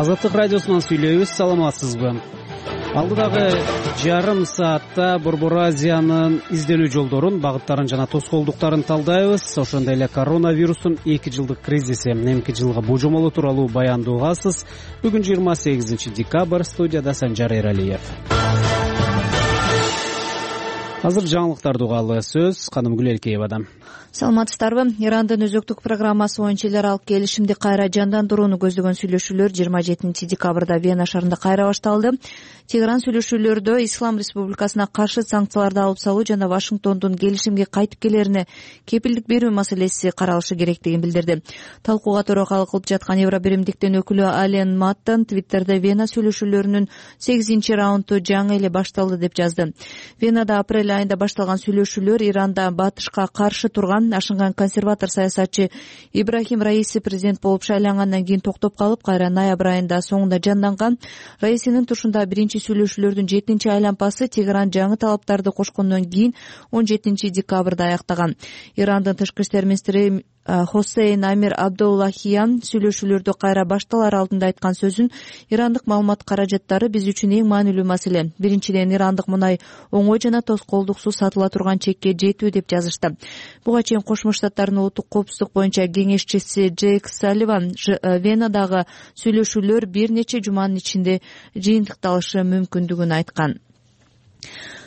Азаттык радиосунан сүйлөйбүз. Саламатсызбы? Алдыдагы жарым саатта Борбор Азиянын изделүү жолдорун, багыттарын жана тоскоолдуктарын талдайбыз. Ошондой эле коронавирустун 2 жылдык кризиси, эмки жылга божомолу тууралуу баянды угасыз. Бүгүн 28 декабрь, студияда Санжар Эралиев. Азыр жаңылыктарды угалы. Сөз Канымгүл Элкеевада. Саламатсыздарбы? Ирандын өзөктүк программасы боюнча эл аралык келишимди кайра жандандырууну көздөгөн сүйлөшүүлөр 27 декабрда Вена шаарында кайра башталды. Тегеран сүйлөшүүлөрдө Ислам Республикасына каршы санкцияларды алып салуу жана Вашингтондун келишимге кайтып келерине кепилдик берүү маселеси каралышы керектигин билдирди. Талкууга төрөкалык кылып жаткан Евробиримдиктин өкүлү Ален Маттон Твиттерде Вена сүйлөшүүлөрүнүн 8 раунду жаңы эле башталды деп жазды. Венада апрель айында башталган сүйлөшүүлөр Иранда батышка каршы турган ашынган консерватор саясатчы Ибрахим Раиси президент болуп шайлангандан кийин токтоп калып, кайра ноябрь айында соңунда жанданган. Раисинин тушунда биринчи сүйлөшүүлөрдүн 7 айлампасы Тегеран жаңы талаптарды кошкондон кийин 17 декабрда аяктаган. Ирандын тышкы иштер министри Хосейн Амир Абдуллахиян сүйлөшүүлөрдү кайра башталар алдында айткан сөзүн ирандык маалымат каражаттары биз үчүн эң маанилүү маселе. Биринчиден, ирандык мунай оңой жана тоскоолдуксуз сатыла турган чекке жетүү деп жазышты. Буга чейин Кошмо Штаттардын улуттук коопсуздук боюнча кеңешчиси Джейк Салливан Венадагы сүйлөшүүлөр бир нече жуманын ичинде жыйынтыкталышы мүмкүндүгүн айткан.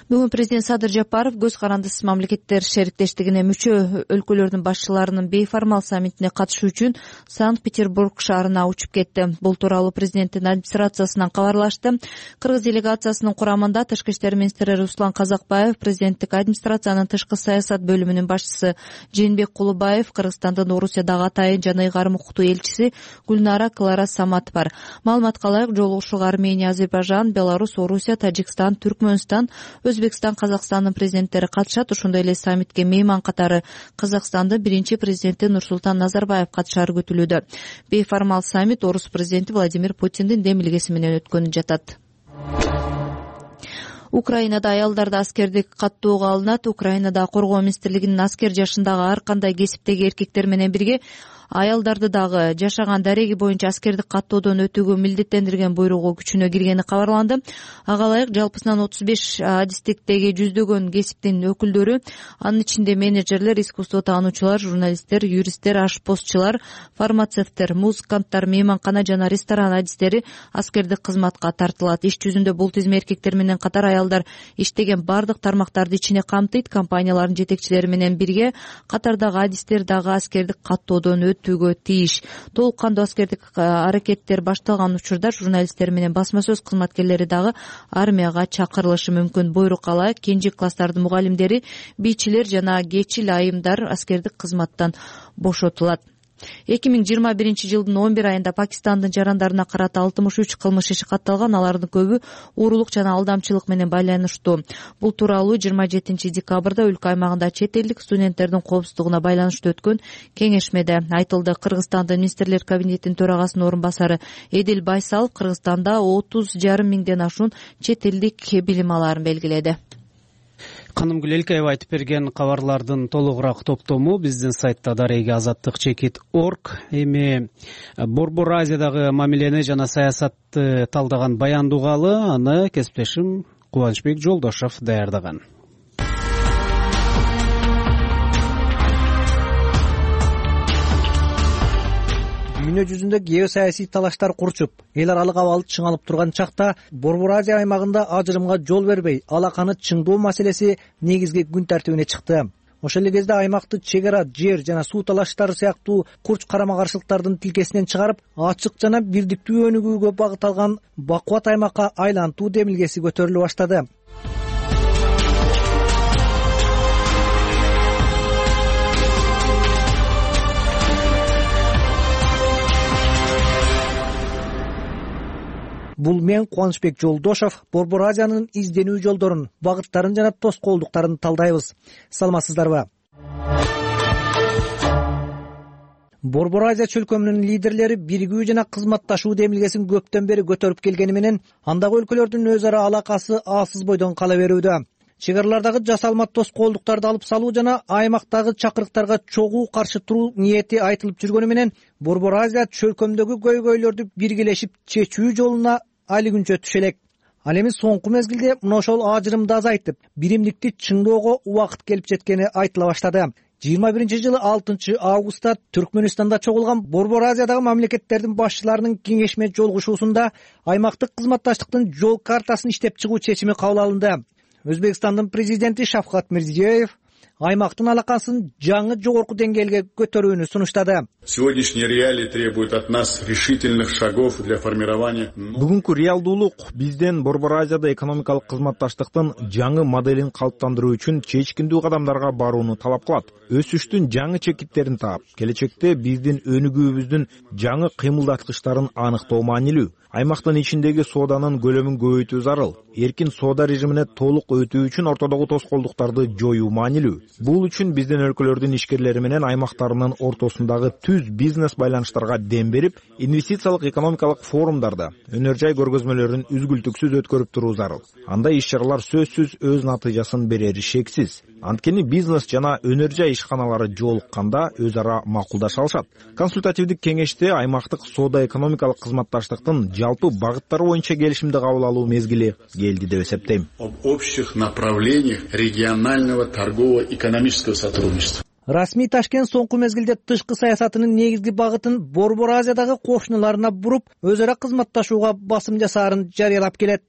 Бүгүн президент Садыр Жапаров көз карандысыз мамлекеттер шериктештигине мүчө өлкөлөрдүн башчыларынын бейформал саммитине катышуу үчүн Санкт-Петербург шаарына учуп кетти. Бул тууралуу президенттин администрациясынан кабарлашты. Кыргыз делегациясынын курамында тышкы иштер министри Руслан Казакбаев, президенттик администрациянын тышкы саясат бөлүмүнүн башчысы Жээнбек Кулубаев, Кыргызстандын Орусиядагы атайын жана ыйгарым укуктуу элчиси Гүлнара Клара Самат бар. Маалыматка ылайык, жолугушууга Армения, Азербайжан, Беларусь, Орусия, Тажикстан, Түркмөнстан, Өзбекстан, Казакстандын президенттери катышат. Ошондой эле саммитке мейман катары Казакстандын биринчи президенти Нурсултан Назарбаев катышары күтүлүүдө. Бейформал саммит Орус президенти Владимир Путиндин демилгеси менен өткөнү жатат. Украинада аялдарды аскердик каттоого алынат. Украинада коргоо министрлигинин аскер жашындагы ар кандай кесиптеги эркектер менен бирге аялдарды дагы жашаган дареги боюнча аскердик каттоодон өтүүгө милдеттендирген буйругу күчүнө киргени кабарланды. Ага ылайык жалпысынан 35 адистиктеги жүздөгөн кесиптин өкүлдөрү, анын ичинде менеджерлер, искусство таануучулар, журналисттер, юристтер, ашпозчулар, фармацевттер, музыканттар, мейманкана жана ресторан адистери аскердик кызматка тартылат. Иш жүзүндө бул тизме эркектер менен катар аялдар иштеген бардык тармактарды ичине камтыйт. Компаниялардын жетекчилери менен бирге катардагы адистер дагы аскердик каттоодон өтүүгө тийиш. Толук кандуу аскердик аракеттер башталган учурда журналисттер менен басма сөз кызматкерлери дагы армияга чакырылышы мүмкүн. Буйрук ылайык кенже класстардын мугалимдери, бийчилер жана кечил айымдар аскердик кызматтан бошотулат. 2021 жылдын 11 айында Пакистандын жарандарына карата 63 кылмыш иши катталган. Алардын көбү уурулук жана алдамчылык менен байланыштуу. Бул тууралуу 27 декабрда өлкө аймагында чет элдик студенттердин коопсуздугуна байланыштуу өткөн кеңешмеде айтылды. Кыргызстандын министрлер кабинетинин төрагасынын орун басары Эдил Байсалов Кыргызстанда 30,5 миңден ашуун чет элдик билим алаарын белгиледи. Канымгүл Элкеева айтып берген кабарлардын толугураак топтому биздин сайтта дареги Азаттык Чекит.org. Эми Борбор Азиядагы мамилени жана саясатты талдаган баянды угалы, аны кесиптешим Кубанычбек Жолдошов даярдаган. Дүйнө жүзүндө геосаясий талаштар курчуп, эл аралык абал чыңалып турган чакта Борбор Азия аймагында ажырымга жол бербей, алаканы чыңдоо маселеси негизги күн тартибине чыкты. Ошол эле кезде аймакты чек ара, жер жана суу талаштары сыяктуу курч карама каршылыктардын тилкесинен чыгарып, ачык жана бирдиктүү өнүгүүгө багытталган бакубат аймакка айлантуу демилгеси көтөрүлө баштады. Бул мен Кубанычбек Жолдошов Борбор Азиянын изденүү жолдорун, багыттарын жана тоскоолдуктарын талдайбыз. Саламатсыздарбы? Борбор Азия чөлкөмүнүн лидерлери биригүү жана кызматташуу демилгесин көптөн бери көтөрүп келгени менен андагы өлкөлөрдүн өз ара алакасы алсыз бойдон кала берүүдө. Чек аралардагы жасалма тоскоолдуктарды алып салуу жана аймактагы чакырыктарга чогуу каршы туруу ниети айтылып жүргөнү менен Борбор Азия чөлкөмдөгү көйгөйлөрдү биргелешип чечүү жолуна али күнчө түшө элек. Ал эми соңку мезгилде мына ошол ажырымды азайтып, биримдикти чыңдоого убакыт келип жеткени айтыла баштады. 21-жылы 6 августта Түркмөнстанда чогулган Борбор Азиядагы мамлекеттердин башчыларынын кеңешме жолугушуусунда аймактык кызматташтыктын жол картасын иштеп чыгуу чечими кабыл алынды. Өзбекстандын президенти Шавкат Мирзиёев аймактын алакасын жаңы жогорку деңгээлге көтөрүүнү сунуштады. Сегодняшние реалии требуют от нас решительных шагов для формирования. Бүгүнкү реалдуулук бизден Борбор Азияда экономикалык кызматташтыктын жаңы моделин калыптандыруу үчүн чечкиндүү кадамдарга барууну талап кылат. Өсүштүн жаңы чекиттерин таап, келечекте биздин өнүгүүбүздүн жаңы кыймылдаткычтарын аныктоо маанилүү. Аймактын ичиндеги сооданын көлөмүн көбөйтүү зарыл. Эркин соода режимине толук өтүү үчүн ортодогу тоскоолдуктарды жоюу маанилүү. Бул үчүн биздин өлкөлөрдүн ишкерлери менен аймактарынын ортосундагы түз бизнес байланыштарга дем берип, инвестициялык экономикалык форумдарда өнөр жай көргөзмөлөрүн үзгүлтүксүз өткөрүп туруу зарыл. Андай иш-чаралар сөзсүз өз натыйжасын берери шексиз. Анткени бизнес жана өнөр жай ишканалары жолукканда өз ара макулдаша алышат. Консультативдик кеңеште аймактык соода экономикалык кызматташтыктын жалпы багыттары боюнча келишимди кабыл алуу мезгили келди деп эсептейм. Об общих направлениях регионального торгово-экономического сотрудничества. Расмий Ташкент соңку мезгилде тышкы саясатынын негизги багытын Борбор Азиядагы кошуналарына буруп, өз ара кызматташууга басым жасаарын жарыялап келет.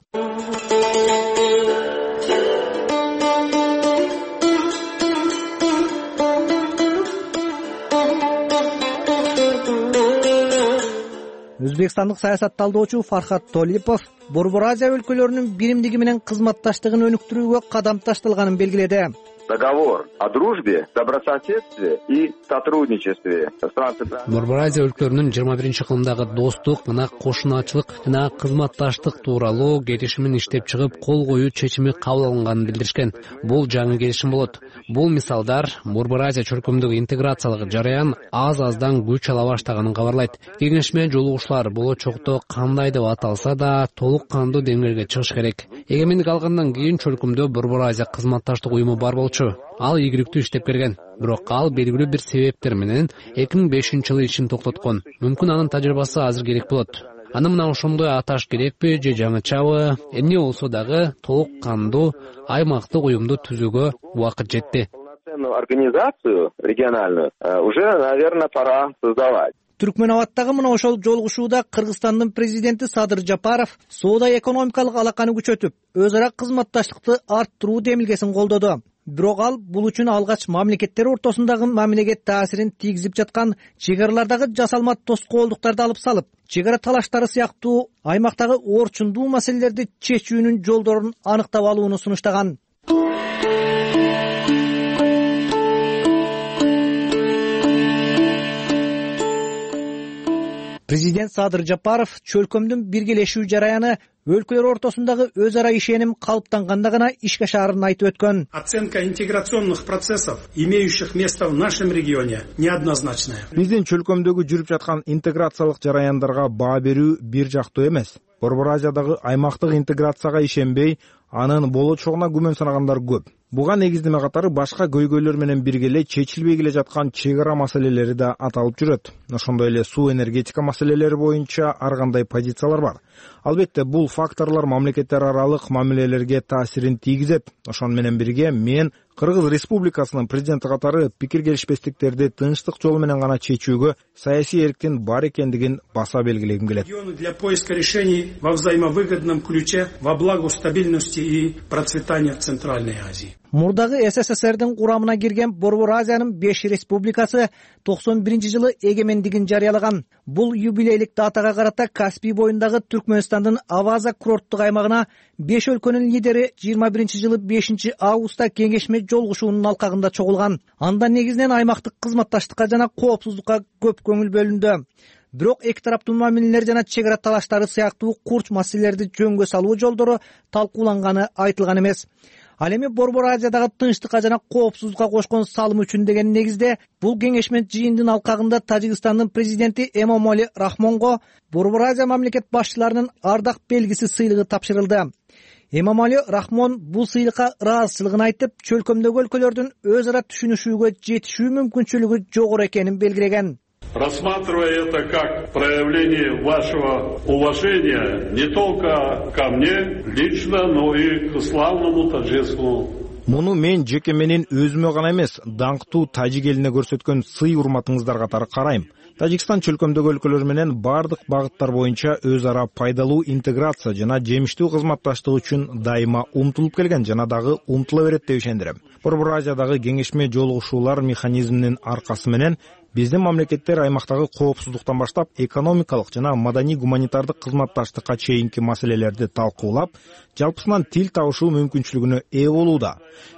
Өзбекстандык саясат талдоочу Фархат Толипов Борбор Азия өлкөлөрүнүн биримдиги менен кызматташтыгын өнүктүрүүгө кадам ташталганын белгиледи. Договор о дружбе, добрососедстве и сотрудничестве. Борбор Азия өлкөлөрүнүн 21-кылымдагы достук, мына кошунаачылык жана кызматташтык тууралуу келишимин иштеп чыгып, кол коюу чечими кабыл алынганын билдиришкен. Бул жаңы келишим болот. Бул мисалдар Борбор Азия чөлкөмүндөгү интеграциялык жараян аз-аздан күч ала баштаганын кабарлайт. Кеңешме жолугушуулар болочокто кандай деп аталса да толук кандуу деңгээлге чыгыш керек. Эгемендик алгандан кийин чөлкөмдө Борбор Азия кызматташтык уюму бар болчу. Ал ийгиликтүү иштеп келген. Бирок ал белгилүү бир себептер менен 2005-жылы ишин токтоткон. Мүмкүн анын тажрыйбасы азыр керек болот. Аны мына ошондой аташ керекпи же жаңычабы? Эмне болсо дагы толук кандуу аймактык уюмду түзүүгө убакыт жетти. Организацию региональную уже, наверное, пора создавать. Түркмөнабадтагы мына ошол жолугушууда Кыргызстандын президенти Садыр Жапаров соода экономикалык алаканы күчөтүп, өз ара кызматташтыкты арттыруу демилгесин колдоду. Бирок ал бул үчүн алгач мамлекеттер ортосундагы мамилеге таасирин тийгизип жаткан чек аралардагы жасалма тоскоолдуктарды алып салып, чек ара талаштары сыяктуу аймактагы орчундуу маселелерди чечүүнүн жолдорун аныктап алууну сунуштаган. Президент Садыр Жапаров чөлкөмдүн биргелешүү жараяны өлкөлөр ортосундагы өз ара ишеним калыптанганда гана ишке ашаарын айтып өткөн. Оценка интеграционных процессов, имеющих место в нашем регионе, неоднозначная. Биздин чөлкөмдөгү жүрүп жаткан интеграциялык жараяндарга баа берүү бир жактуу эмес. Борбор Азиядагы аймактык интеграцияга ишенбей, анын болочогуна күмөн санагандар көп. Буга негиздеме катары башка көйгөйлөр менен бирге эле чечилбей келе жаткан чек ара маселелери да аталып жүрөт. Ошондой эле суу энергетика маселелери боюнча ар кандай позициялар бар. Албетте, бул факторлор мамлекеттер аралык мамилелерге таасирин тийгизет. Ошону менен бирге мен Кыргыз Республикасынын президенти катары пикир келишпестиктерди тынчтык жолу менен гана чечүүгө саясий эрктин бар экендигин баса белгилегим келет. Для поиска решений во взаимовыгодном ключе во благо стабильности и процветания в Центральной Азии. Мурдагы СССРдин курамына кирген Борбор Азиянын 5 республикасы 91-жылы эгемендигин жарыялаган. Бул юбилейлик датага карата Каспий боюндагы Түркмөнстандын Аваза курорттук аймагына 5 өлкөнүн лидери 21-жылы 5 августта кеңешме жолугушуунун алкагында чогулган. Анда негизинен аймактык кызматташтыкка жана коопсуздукка көп көңүл бөлүндү. Бирок эки тараптуу мамилелер жана чек ара талаштары сыяктуу курч маселелерди жөнгө салуу жолдору талкууланганы айтылган эмес. Ал эми Борбор Азиядагы тынчтыкка жана коопсуздукка кошкон салым үчүн деген негизде бул кеңешме жыйындын алкагында Тажикстандын президенти Эмомали Рахмонго Борбор Азия мамлекет башчыларынын ардак белгиси сыйлыгы тапшырылды. Эмомали Рахмон бул сыйлыкка ыраазычылыгын айтып, чөлкөмдөгү өлкөлөрдүн өз ара түшүнүшүүгө жетишүү мүмкүнчүлүгү жогору экенин белгилеген. Рассматривая это как проявление вашего уважения не только ко мне лично, но и к славному таджикскому. Муну мен жеке менин өзүмө гана эмес, даңктуу тажик элине көрсөткөн сый урматыңыздар катары карайм. Тажикстан чөлкөмдөгү өлкөлөр менен бардык багыттар боюнча өз ара пайдалуу интеграция жана жемиштүү кызматташтык үчүн дайыма умтулуп келген жана дагы умтула берет деп ишендирем. Борбор Азиядагы кеңешме жолугушуулар механизминин аркасы менен биздин мамлекеттер аймактагы коопсуздуктан баштап экономикалык жана маданий гуманитардык кызматташтыкка чейинки маселелерди талкуулап, жалпысынан тил табышуу мүмкүнчүлүгүнө ээ болууда.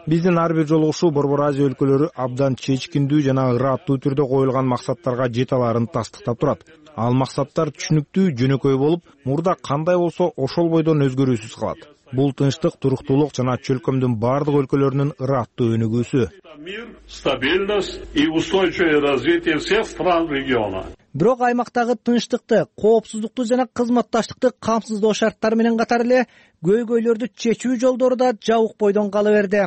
Биздин ар бир жолугушуу Борбор Азия өлкөлөрү абдан чечкиндүү жана ырааттуу түрдө коюлган максаттарга жете аларын тастыктап турат. Ал максаттар түшүнүктүү, жөнөкөй болуп, мурда кандай болсо ошол бойдон өзгөрүүсүз калат. Бул тынчтык, туруктуулук жана чөлкөмдүн бардык өлкөлөрүнүн ырааттуу өнүгүүсү. Стабильность и устойчивое развитие всех стран региона. Бирок аймактагы тынчтыкты, коопсуздукту жана кызматташтыкты камсыздоо шарттары менен катар эле көйгөйлөрдү чечүү жолдору да жабык бойдон кала берди.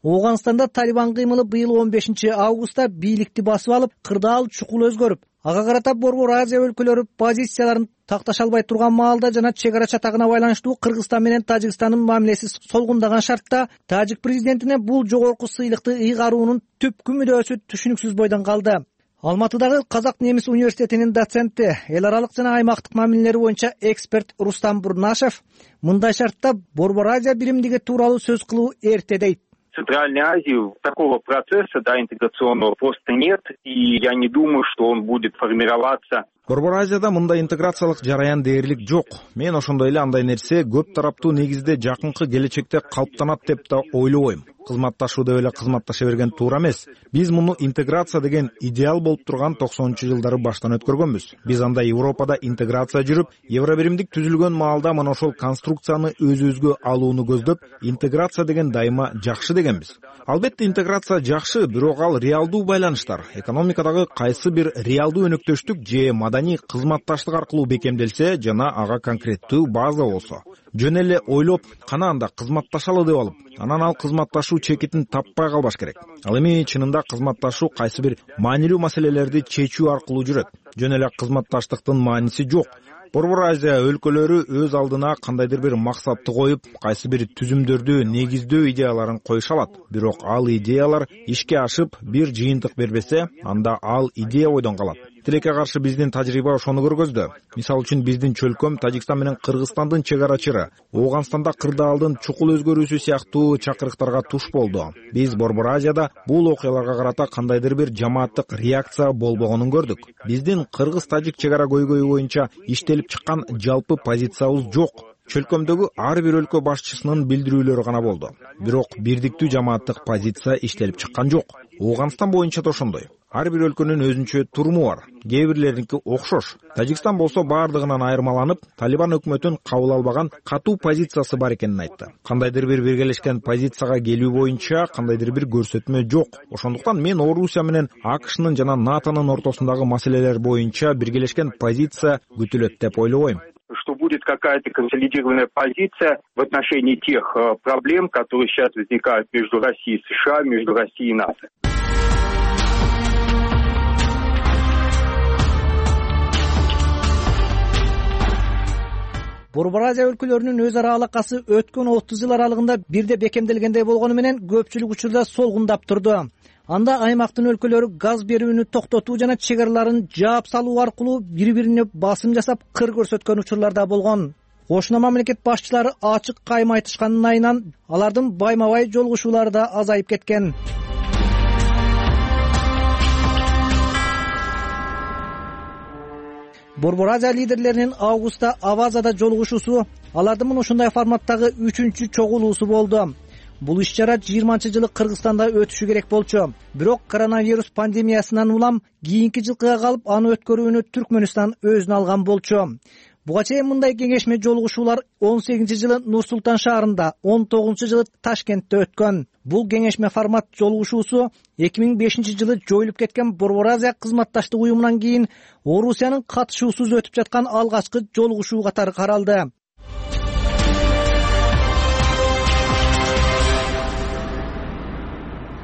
Ооганстанда Талибан кыймылы быйыл 15 августта бийликти басып алып, кырдаал чукул өзгөрүп, ага карата Борбор Азия өлкөлөрү позицияларын такташа албай турган маалда жана чек ара чатагына байланыштуу Кыргызстан менен Тажикстандын мамилеси солгундаган шартта тажик президентине бул жогорку сыйлыкты ыйгаруунун түпкү мүдөөсү түшүнүксүз бойдон калды. Алматыдагы Казак Немис университетинин доценти, эл аралык жана аймактык мамилелер боюнча эксперт Рустам Бурнашев мындай шартта Борбор Азия биримдиги тууралуу сөз кылуу эрте дейт. В Центральной Азии такого процесса, интеграционного просто нет, и я не думаю, что он будет формироваться. Борбор Азияда мындай интеграциялык жараян дээрлик жок. Мен ошондой эле андай нерсе көп тараптуу негизде жакынкы келечекте калыптанат деп да ойлобойм. Кызматташуу деп эле кызматташа берген туура эмес. Биз муну интеграция деген идеал болуп турган 90-жылдары баштан өткөргөнбүз. Биз анда Европада интеграция жүрүп, Евробиримдик түзүлгөн маалда мына ошол конструкцияны өзүбүзгө алууну көздөп, интеграция деген дайыма жакшы дегенбиз. Албетте интеграция жакшы, бирок ал реалдуу байланыштар, экономикадагы кайсы бир реалдуу өнөктөштүк же маданий кызматташтык аркылуу бекемделсе жана ага конкреттүү база болсо. Жөн эле ойлоп, кана анда кызматташалы деп алып, анан ал кызматташуу чекитин таппай калбаш керек. Ал эми чынында кызматташуу кайсы бир маанилүү маселелерди чечүү аркылуу жүрөт. Жөн эле кызматташтыктын мааниси жок. Борбор Азия өлкөлөрү өз алдына кандайдыр бир максатты коюп, кайсы бир түзүмдөрдү негиздөө идеяларын коюша алат. Бирок ал идеялар ишке ашып, бир жыйынтык бербесе, анда ал идея бойдон калат. Тилекке каршы биздин тажрыйба ошону көргөздү. Мисалы үчүн биздин чөлкөм Тажикстан менен Кыргызстандын чек арачыры, Ооганстанда кырдаалдын чукул өзгөрүүсү сыяктуу чакырыктарга туш болду. Биз Борбор Азияда бул окуяларга карата кандайдыр бир жамааттык реакция болбогонун көрдүк. Биздин кыргыз-тажик чек ара көйгөйү боюнча иштелип чыккан жалпы позициябыз жок. Чөлкөмдөгү ар бир өлкө башчысынын билдирүүлөрү гана болду. Бирок бирдиктүү жамааттык позиция иштелип чыккан жок. Ооганстан боюнча да ошондой. Ар бир өлкөнүн өзүнчө туруму бар. Кээ бирлериники окшош. Тажикстан болсо бардыгынан айырмаланып, Талибан өкмөтүн кабыл албаган катуу позициясы бар экенин айтты. Кандайдыр бир биргелешкен позицияга келүү боюнча кандайдыр бир көрсөтмө жок. Ошондуктан мен Орусия менен АКШнын жана НАТОнун ортосундагы маселелер боюнча биргелешкен позиция күтүлөт деп ойлобойм. Что будет какая-то консолидированная позиция в отношении тех проблем, которые сейчас возникают между Россией и США, между Россией и НАТО. Борбор Азия өлкөлөрүнүн өз ара алакасы өткөн 30 жыл аралыгында бирде бекемделгендей болгону менен көпчүлүк учурда солгундап турду. Анда аймактын өлкөлөрү газ берүүнү токтотуу жана чек араларын жаап салуу аркылуу бири бирине басым жасап кыр көрсөткөн учурлар да болгон. Кошуна мамлекет башчылары ачык кайма айтышканын айынан алардын байма бай жолугушуулары да азайып кеткен. Борбор Азия лидерлеринин августта Авазада жолугушуусу алардын мына ушундай форматтагы 3-чү чогулуусу болду. Бул иш-чара 20-жылы Кыргызстанда өтүшү керек болчу. Бирок коронавирус пандемиясынан улам кийинки жылкыга калып, аны өткөрүүнү Түркмөнстан өзүнө алган болчу. Буга чейин мындай кеңешме жолугушуулар 18-жылы Нур-Султан шаарында, 19-жылы Ташкентте өткөн. Бул кеңешме формат жолугушуусу 2005-жылы жоюлуп кеткен Борбор Азия кызматташтык уюмунан кийин Орусиянын катышуусуз өтүп жаткан алгачкы жолугушуу катары каралды.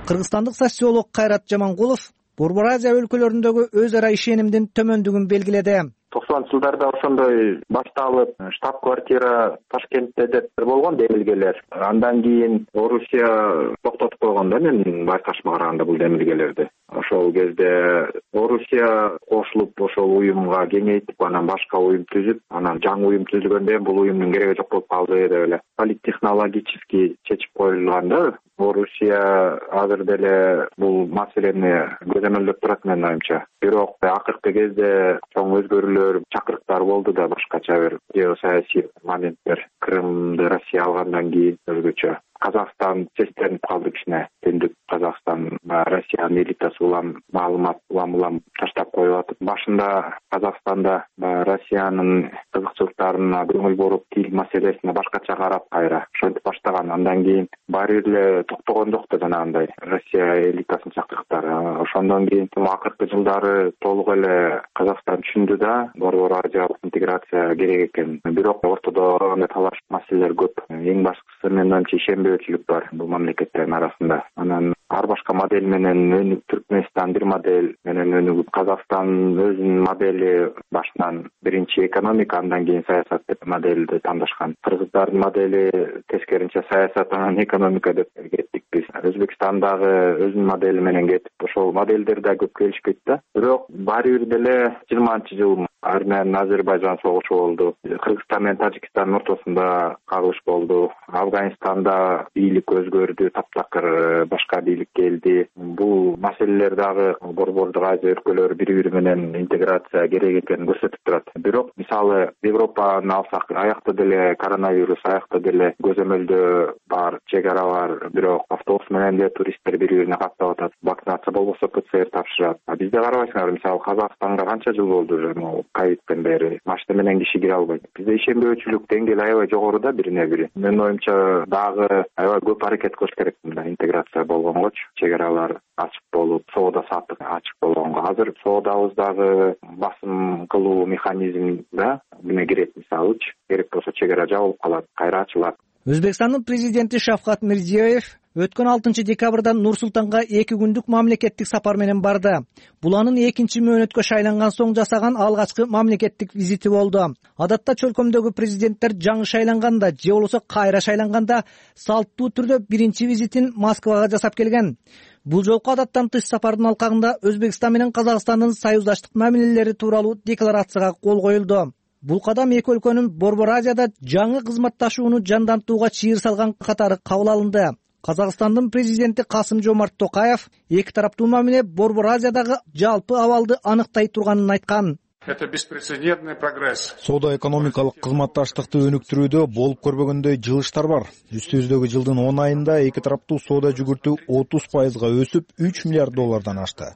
Кыргызстандык социолог Кайрат Жамангулов Борбор Азия өлкөлөрүндөгү өз ара ишенимдин төмөндүгүн белгиледи. 90-жылдарда ошондой башталып, штаб-квартира Ташкентте деп болгон демилгелер. Андан кийин Орусия токтотуп койгон да, мен байкашыма караганда бул демилгелерди. Ошол кезде Орусия кошулуп ошол уюмга кеңейтип, анан башка уюм түзүп, анан жаңы уюм түзүлгөндө бул уюмдун кереги жок болуп калды деп эле политтехнологически чечип коюлган да. Орусия азыр деле бул маселени көзөмөлдөп турат менин оюмча. Бирок акыркы кезде чоң өзгөрүүлөр, чакырыктар болду да, башкача бир геосаясий моменттер. Крымды Россия алгандан кийин өзгөчө. Казакстан сестенип калды кичине. Түндүк Казакстан Россиянын элитасы улам маалымат улам таштап коюп атып, башында Казакстанда Россиянын кызыкчылыктарына көңүл буруп, тил маселесине башкача карап кайра ошентип баштаган. Андан кийин баары бир эле токтогон жок да жанагындай Россия элитасынын чакырыктары. Ошондон кийин акыркы жылдары толук эле Казакстан түшүндү да, Борбор Азиялык интеграция керек экен. Бирок ортодо талаш маселелер көп. Эң башкысы менин оюмча ишенбөөчүлүк бар бул мамлекеттердин арасында. Анан ар башка модель менен өнүгүп, Түркмөнстан бир модель менен өнүгүп, Казакстан өзүнүн модели башынан биринчи экономика, андан кийин саясат деп модельди тандашкан. Кыргыздардын модели тескеринче саясат, анан экономика деп кеттик биз. Өзбекстандагы өзүнүн модели менен кетип, ошол модельдер да көп келишпейт да. Бирок баары бир деле 20-жыл Армения Азербайжан согушу болду. Кыргызстан менен Тажикстандын ортосунда кагылыш болду. Афганистанда бийлик өзгөрдү, таптакыр башка бийлик келди. Бул маселелер дагы Борбордук Азия өлкөлөрү бири-бири менен интеграция керек экенин көрсөтүп турат. Бирок мисалы Европаны алсак, аякта деле коронавирус, аякта деле көзөмөлдө бар, чек ара бар. Бирок автобус менен деле туристтер бири-бирине каттап атат. Вакцинация болбосо ПЦР тапшырат. Бизде карабайсыңар, мисалы Казакстанга канча жыл болду уже ковидтен бери машина менен киши кире албайт. Бизде ишенбөөчүлүк деңгээли аябай жогору да бирине бири. Менин оюмча дагы аябай көп аракет кылыш керек мындай интеграция болгонгочу, чек аралар ачык болуп, соода саттык ачык болгонго. Азыр соодабыздагы басым кылуу механизм да эмне кирет, мисалычы керек болсо чек ара жабылып калат, кайра ачылат. Өзбекстандын президенти Шавкат Мирзиёев өткөн 6-декабрда Нур-Султанга 2 күндүк мамлекеттик сапар менен барды. Бул анын 2-чи мөөнөткө шайланган соң жасаган алгачкы мамлекеттик визити болду. Адатта чөлкөмдөгү президенттер жаңы шайланганда же болбосо кайра шайланганда салттуу түрдө биринчи визитин Москвага жасап келген. Бул жолку адаттан тыш сапардын алкагында Өзбекстан менен Казакстандын союздаштык мамилелери тууралуу декларацияга кол коюлду. Бул кадам эки өлкөнүн Борбор Азияда жаңы кызматташууну жандантууга чыйыр салган катары кабыл алынды. Казакстандын президенти Касым-Жомарт Токаев эки тараптуу мамиле Борбор Азиядагы жалпы абалды аныктай турганын айткан. Это беспрецедентный прогресс. Соода-экономикалык кызматташтыкты өнүктүрүүдө болуп көрбөгөндөй жылыштар бар. Үстүбүздөгү жылдын 10 айында эки тараптуу соода жүгүртүү 30%га өсүп, $3 миллиард ашты.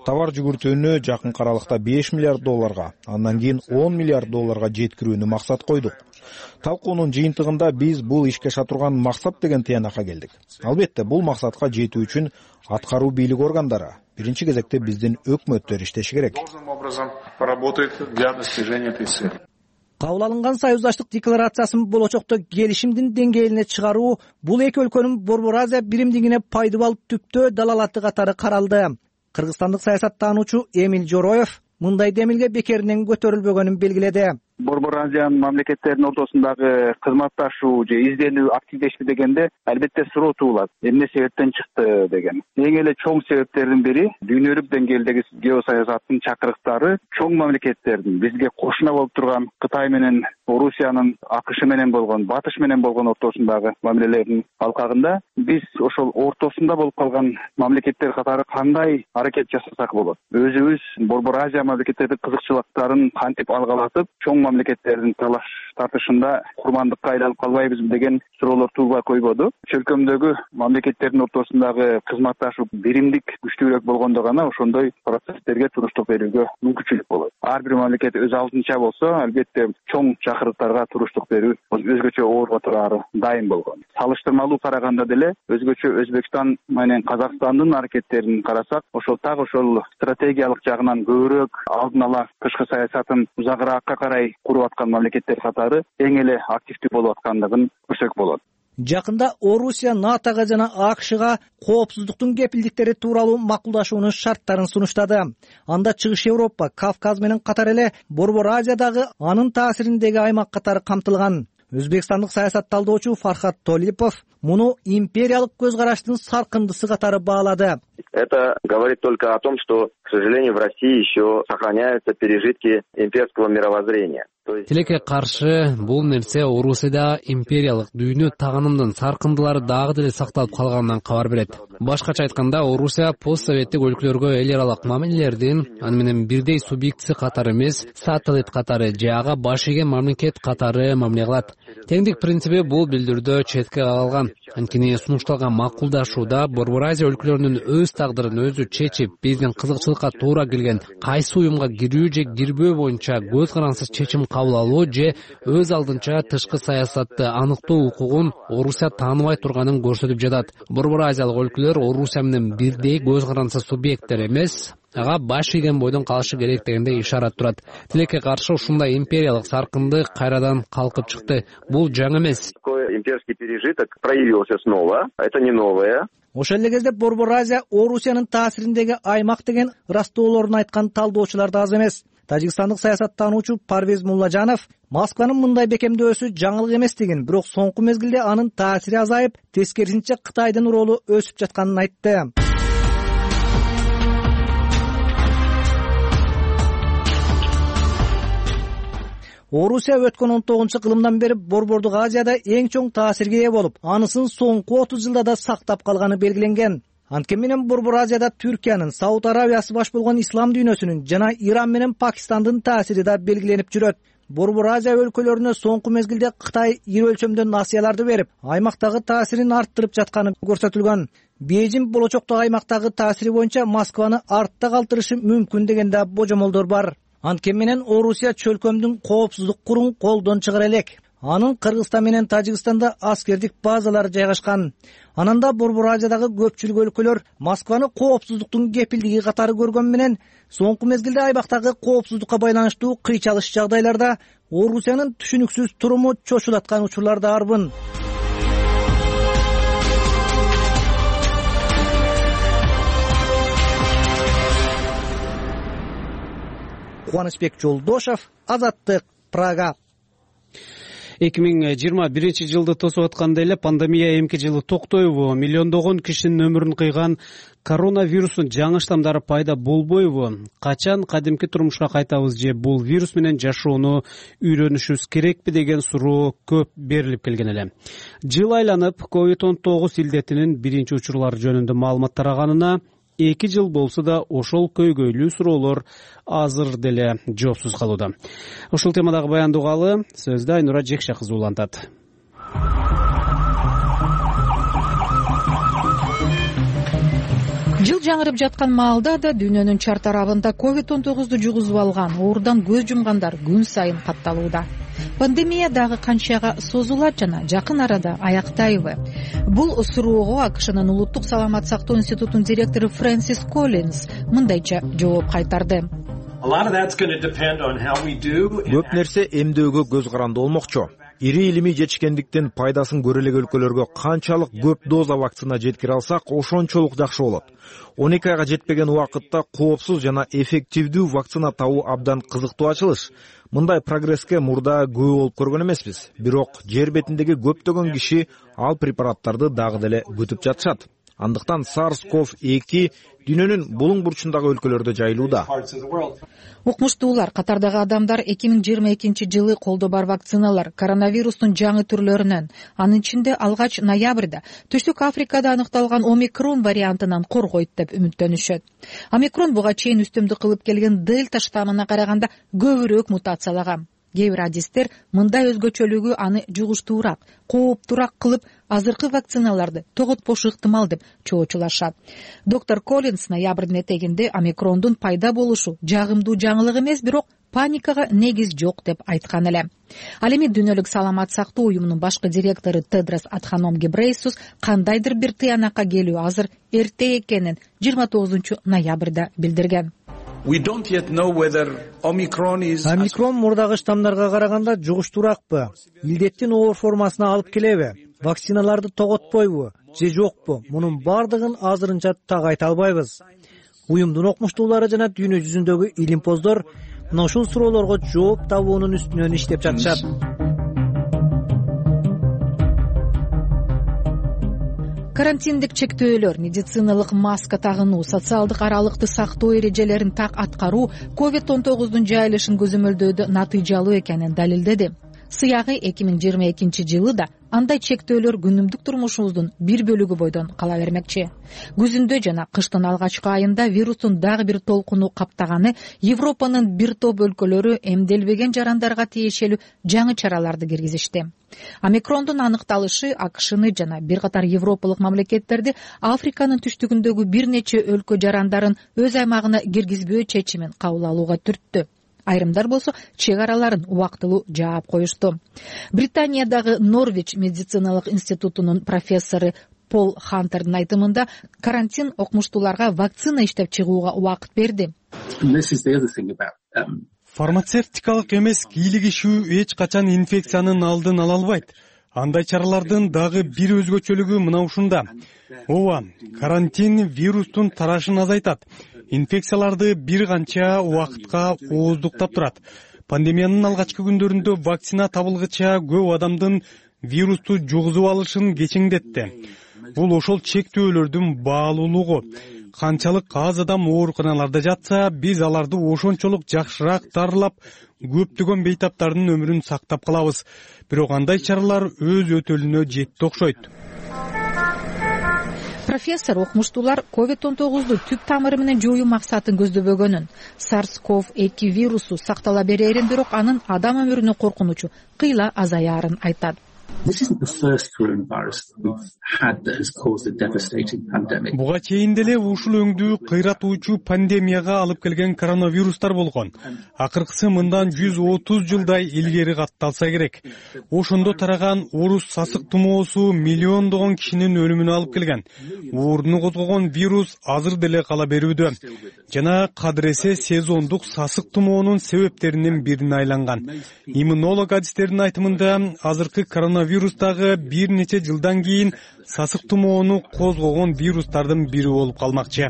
Товар жүгүртүүнү жакынкы аралыкта $5 миллиард, андан кийин $10 миллиард жеткирүүнү максат койдук. Талкуунун жыйынтыгында биз бул ишке аша турган максат деген тыянакка келдик. Албетте, бул максатка жетүү үчүн аткаруу бийлик органдары, биринчи кезекте биздин өкмөттөр иштеши керек. Кабыл алынган союздаштык декларациясын болочокто келишимдин деңгээлине чыгаруу бул эки өлкөнүн Борбор Азия биримдигине пайдалуу түптөө далалаты катары каралды. Кыргызстандык саясаттануучу Эмиль Жороев мындай демилге бекеринен көтөрүлбөгөнүн белгиледи. Борбор Азиянын мамлекеттеринин ортосундагы кызматташуу же изденүү активдешти дегенде албетте суроо туулат. Эмне себептен чыкты деген. Эң эле чоң себептердин бири дүйнөлүк деңгээлдеги геосаясаттын чакырыктары чоң мамлекеттердин бизге кошуна болуп турган Кытай менен Орусиянын, АКШ менен болгон, Батыш менен болгон ортосундагы мамилелердин алкагында биз ошол ортосунда болуп калган мамлекеттер катары кандай аракет жасасак болот. Өзүбүз Борбор Азия мамлекеттердин кызыкчылыктарын кантип алгалатып, чоң мамлекеттердин талаш тартышында курмандыкка айланып калбайбызбы деген суроолор туулбай койбоду. Чөлкөмдөгү мамлекеттердин ортосундагы кызматташуу биримдик күчтүүрөөк болгондо гана ошондой процесстерге туруштук берүүгө мүмкүнчүлүк болот. Ар бир мамлекет өз алдынча болсо, албетте чоң чакырыктарга туруштук берүү өзгөчө оорго турары дайым болгон. Салыштырмалуу караганда деле өзгөчө Өзбекстан менен Казакстандын аракеттерин карасак, ошол так ошол стратегиялык жагынан көбүрөөк алдын ала тышкы саясатын узагыраакка карай куруп аткан мамлекеттер катары эң эле активдүү болуп аткандыгын көрсөк болот. Жакында Орусия НАТОга жана АКШга коопсуздуктун кепилдиктери тууралуу макулдашуунун шарттарын сунуштады. Анда Чыгыш Европа, Кавказ менен катар эле Борбор Азиядагы анын таасириндеги аймак катары камтылган. Өзбекстандык саясат талдоочу Фархат Толипов муну империялык көз караштын саркындысы катары баалады. Это говорит только о том, что, к сожалению, в России еще сохраняются пережитки имперского мировоззрения. Тилекке каршы бул нерсе Орусияда империялык дүйнө тагынымдын саркындылары дагы деле сакталып калганынан кабар берет. Башкача айтканда, Орусия постсоветтик өлкөлөргө эл аралык мамилелердин аны менен бирдей субъектиси катары эмес, сателлит катары же ага баш ийген мамлекет катары мамиле кылат. Теңдик принципи бул билдирүүдө четке калган. Анткени сунушталган макулдашууда Борбор Азия өлкөлөрүнүн өз тагдырын өзү чечип, биздин кызыкчылыкка туура келген кайсы уюмга кирүү же кирбөө боюнча көз карансыз чечим кабыл алуу же өз алдынча тышкы саясатты аныктоо укугун Орусия тааныбай турганын көрсөтүп жатат. Борбор Азиялык өлкөлөр Орусия менен бирдей көз карансыз субъекттер эмес, ага баш ийген бойдон калышы керек дегенде ишарат турат. Тилекке каршы ушундай империялык саркындык кайрадан калкып чыкты. Бул жаңы эмес. Имперский пережиток проявился снова. Это не новое. Ошол эле кезде Борбор Азия Орусиянын таасириндеги аймак деген ырааттоолорун айткан талдоочулар да аз эмес. Тажикстандык саясаттануучу Парвез Муллажанов Москванын мындай бекемдөөсү жаңылык эместигин, бирок соңку мезгилде анын таасири азайып, тескерисинче Кытайдын ролу өсүп жатканын айтты. Орусия өткөн 19-кылымдан бери Борбордук Азияда эң чоң таасирге ээ болуп, анысын соңку 30 жылда да сактап калганы белгиленген. Анткени менен Борбор Азияда Түркиянын, Сауд Арабиясы баш болгон ислам дүйнөсүнүн жана Иран менен Пакистандын таасири да белгиленип жүрөт. Борбор Азия өлкөлөрүнө соңку мезгилде Кытай ири өлчөмдө насыяларды берип, аймактагы таасирин арттырып жатканы көрсөтүлгөн. Бейжин болочоктогу аймактагы таасири боюнча Москваны артта калтырышы мүмкүн деген да божомолдор бар. Анткени менен Орусия чөлкөмдүн коопсуздук курун колдон чыгара элек. Анын Кыргызстан менен Тажикстанда аскердик базалары жайгашкан. Ананда Борбор Азиядагы көпчүлүк өлкөлөр Москваны коопсуздуктун кепилдиги катары көргөн менен соңку мезгилде аймактагы коопсуздукка байланыштуу кыйчалыш жагдайларда Орусиянын түшүнүксүз туруму чочулаткан учурлар да арбын. Кубанычбек Жолдошов, Азаттык, Прага. 2021 жылды тосуп атканда эле пандемия эмки жылы токтойбу? Миллиондогон кишинин өмүрүн кыйган коронавирустун жаңы штамдары пайда болбойбу? Качан кадимки турмушка кайтабыз же бул вирус менен жашоону үйрөнүшүбүз керекпи деген суроо көп берилип келген эле. Жыл айланып, COVID-19 илдетинин биринчи учурлары жөнүндө маалымат тараганына 2 жыл болсо да ошол көйгөйлүү суроолор азыр деле жоопсуз калууда. Ушул темадагы баянды угалы сөздү Айнура Жекше кызы улантат. Жыл жаңырып жаткан маалда да дүйнөнүн чар тарабында COVID-19 жугузуп алган, оорудан көз жумгандар күн сайын катталууда. Пандемия дагы канчага созулат жана жакын арада аяктайбы? Бул суроого АКШнын улуттук саламат сактоо институтунун директору Фрэнсис Коллинс мындайча жооп кайтарды. Көп нерсе эмдөөгө көз каранды болмокчу. ири илимий жетишкендиктен пайдасын көрө элек өлкөлөргө канчалык көп доза вакцина жеткире алсак, ошончолук жакшы болот. 12 айга жетпеген убакытта коопсуз жана эффективдүү вакцина табуу абдан кызыктуу ачылыш. Мындай прогресске мурда күбө болуп көргөн эмеспиз. Бирок жер бетиндеги көптөгөн киши ал препараттарды дагы деле күтүп жатышат. Андыктан SARS-CoV-2 дүйнөнүн булуң бурчундагы өлкөлөрдө жайылууда. Укмуштуулар катардагы адамдар 2022 жылы колдо бар вакциналар коронавирустун жаңы түрлөрүнөн, анын ичинде алгач ноябрда Түштүк Африкада аныкталган омикрон вариантынан коргойт деп үмүттөнүшөт. Омикрон буга чейин үстөмдүк кылып келген дельта штаммына караганда көбүрөөк мутациялаган. Кээ бир адистер мындай өзгөчөлүгү аны жугуштуураак, кооптуураак кылып, азыркы вакциналарды тоготпошу ыктымал деп чоочулашат. Доктор Коллинс ноябрдын этегинде омикрондун пайда болушу жагымдуу жаңылык эмес, бирок паникага негиз жок деп айткан эле. Ал эми Дүйнөлүк саламат сактоо уюмунун башкы директору Тедрос Адханом Гебрейсус кандайдыр бир тыянакка келүү азыр эрте экенин 29 ноябрда билдирген. Омикрон мурдагы штаммдарга караганда жугуштураакпы, илдеттин оор формасына алып келеби, вакциналарды тоготпойбу же жокпу, мунун бардыгын азырынча так айта албайбыз. Уюмдун окумуштуулары жана дүйнө жүзүндөгү илимпоздор мына ушул суроолорго жооп табуунун үстүнөн иштеп жатышат. Карантиндик чектөөлөр, медициналык маска тагынуу, социалдык аралыкты сактоо эрежелерин так аткаруу COVID-19 жайылышын көзөмөлдөөдө натыйжалуу экенин далилдеди. Сыягы 2022 жылы да андай чектөөлөр күнүмдүк турмушубуздун бир бөлүгү бойдон кала бермекчи. Күзүндө жана кыштын алгачкы айында вирустун дагы бир толкуну каптаганы Европанын бир топ өлкөлөрү эмделбеген жарандарга тиешелүү жаңы чараларды киргизишти. Омикрондун аныкталышы АКШны жана бир катар европалык мамлекеттерди Африканын түштүгүндөгү бир нече өлкө жарандарын өз аймагына киргизбөө чечимин кабыл алууга түрттү. Айрымдар болсо чек араларын убактылуу жаап коюшту. Британиядагы Норвич медициналык институтунун профессору Пол Хантердин айтымында карантин окумуштууларга вакцина иштеп чыгууга убакыт берди. Фармацевтикалык эмес кийлигишүү эч качан инфекциянын алдын ала албайт. Андай чаралардын дагы бир өзгөчөлүгү мына ушунда. Ооба, карантин вирустун тарашын азайтат. Инфекцияларды бир канча убакытка ооздуктап турат. Пандемиянын алгачкы күндөрүндө вакцина табылгыча көп адамдын вирусту жугузуп алышын кечеңдетти. Бул ошол чектөөлөрдүн баалуулугу. Канчалык аз адам ооруканаларда жатса, биз аларды ошончолук жакшыраак дарылап, көптөгөн бейтаптардын өмүрүн сактап калабыз. Бирок андай чаралар өз өтөлүнө жетти окшойт. Профессор окумуштуулар COVID-19 түп тамыры менен жоюу максатын көздөбөгөнүн, SARS-CoV-2 вирусу сактала берерин, бирок анын адам өмүрүнө коркунучу кыйла азаярын айтат. Буга чейин деле ушул өңдүү кыйратуучу пандемияга алып келген коронавирустар болгон. Акыркысы мындан 130 жылдай илгери катталса керек. Ошондо тараган орус сасык тумоосу миллиондогон кишинин өлүмүнө алып келген. Ооруну козгогон вирус азыр деле кала берүүдө. Жана кадыресе сезондук сасык тумоонун себептеринин бирине айланган. Иммунолог адистердин айтымында азыркы коронавирустагы бир нече жылдан кийин сасык тумоону козгогон вирустардын бири болуп калмакчы.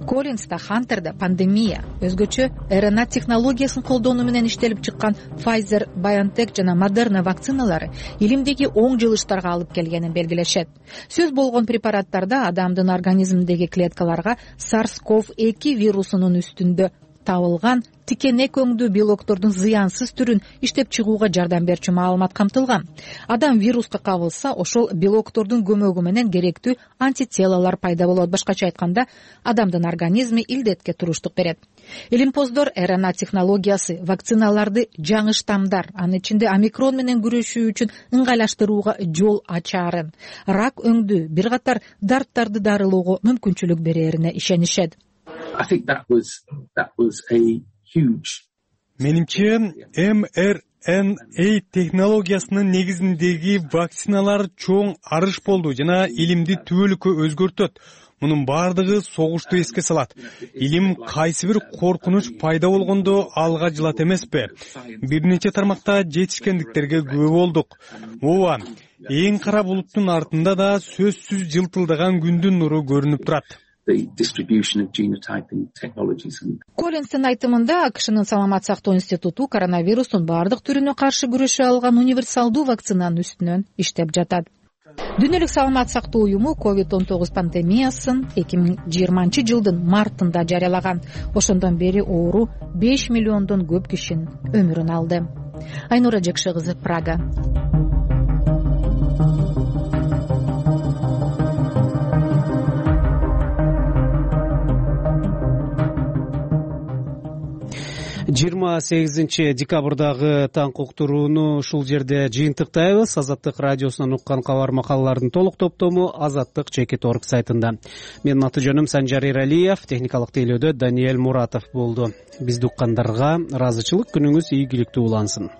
Коллинс да Хантер да пандемия, өзгөчө РНА технологиясын колдонуу менен иштелип чыккан Pfizer, BioNTech жана Moderna вакциналары илимдеги оң жылыштарга алып келгенин белгилешет. Сөз болгон препараттарда адамдын организминдеги клеткаларга SARS-CoV-2 вирусунун үстүндө табылган тикенек өңдүү белоктордун зыянсыз түрүн иштеп чыгууга жардам берчү маалымат камтылган. Адам вируска кабылса, ошол белоктордун көмөгү менен керектүү антителалар пайда болот. Башкача айтканда, адамдын организми илдетке туруштук берет. Илимпоздор РНА технологиясы вакциналарды жаңы штамдар, анын ичинде омикрон менен күрөшүү үчүн ыңгайлаштырууга жол ачаарын, рак өңдүү, бир катар дарттарды дарылоого мүмкүнчүлүк берерине ишенишет. Менимче, mRNA технологиясынын негизиндеги вакциналар чоң арыш болду жана илимди түбөлүккө өзгөртөт. Мунун баардыгы согушту эске салат. Илим кайсы бир коркунуч пайда болгондо алга жылат эмеспи? Бир нече тармакта жетишкендиктерге күбө болдук. Ооба, эң кара булуттун артында да сөзсүз жылтылдаган күндүн нуру көрүнүп турат. Коллинстин айтымында АКШнын саламат сактоо институту коронавирустун баардык түрүнө каршы күрөшө алган универсалдуу вакцинанын үстүнөн иштеп жатат. Дүйнөлүк саламат сактоо уюму COVID-19 пандемиясын 2020 жылдын мартында жарыялаган. Ошондон бери оору 5 миллиондон көп кишинин өмүрүн алды. Айнура Жекши кызы, Прага. жыйырма 8 декабрдагы таңкы уктурууну ушул жерде жыйынтыктайбыз. Азаттык радиосунан уккан кабар макалалардын толук топтому azattik.org сайтында. Менин аты жөнүм Санжар Эралиев, техникалык тейлөөдө Даниэль Муратов болду. Бизди уккандарга ыраазычылык, күнүңүз ийгиликтүү улансын.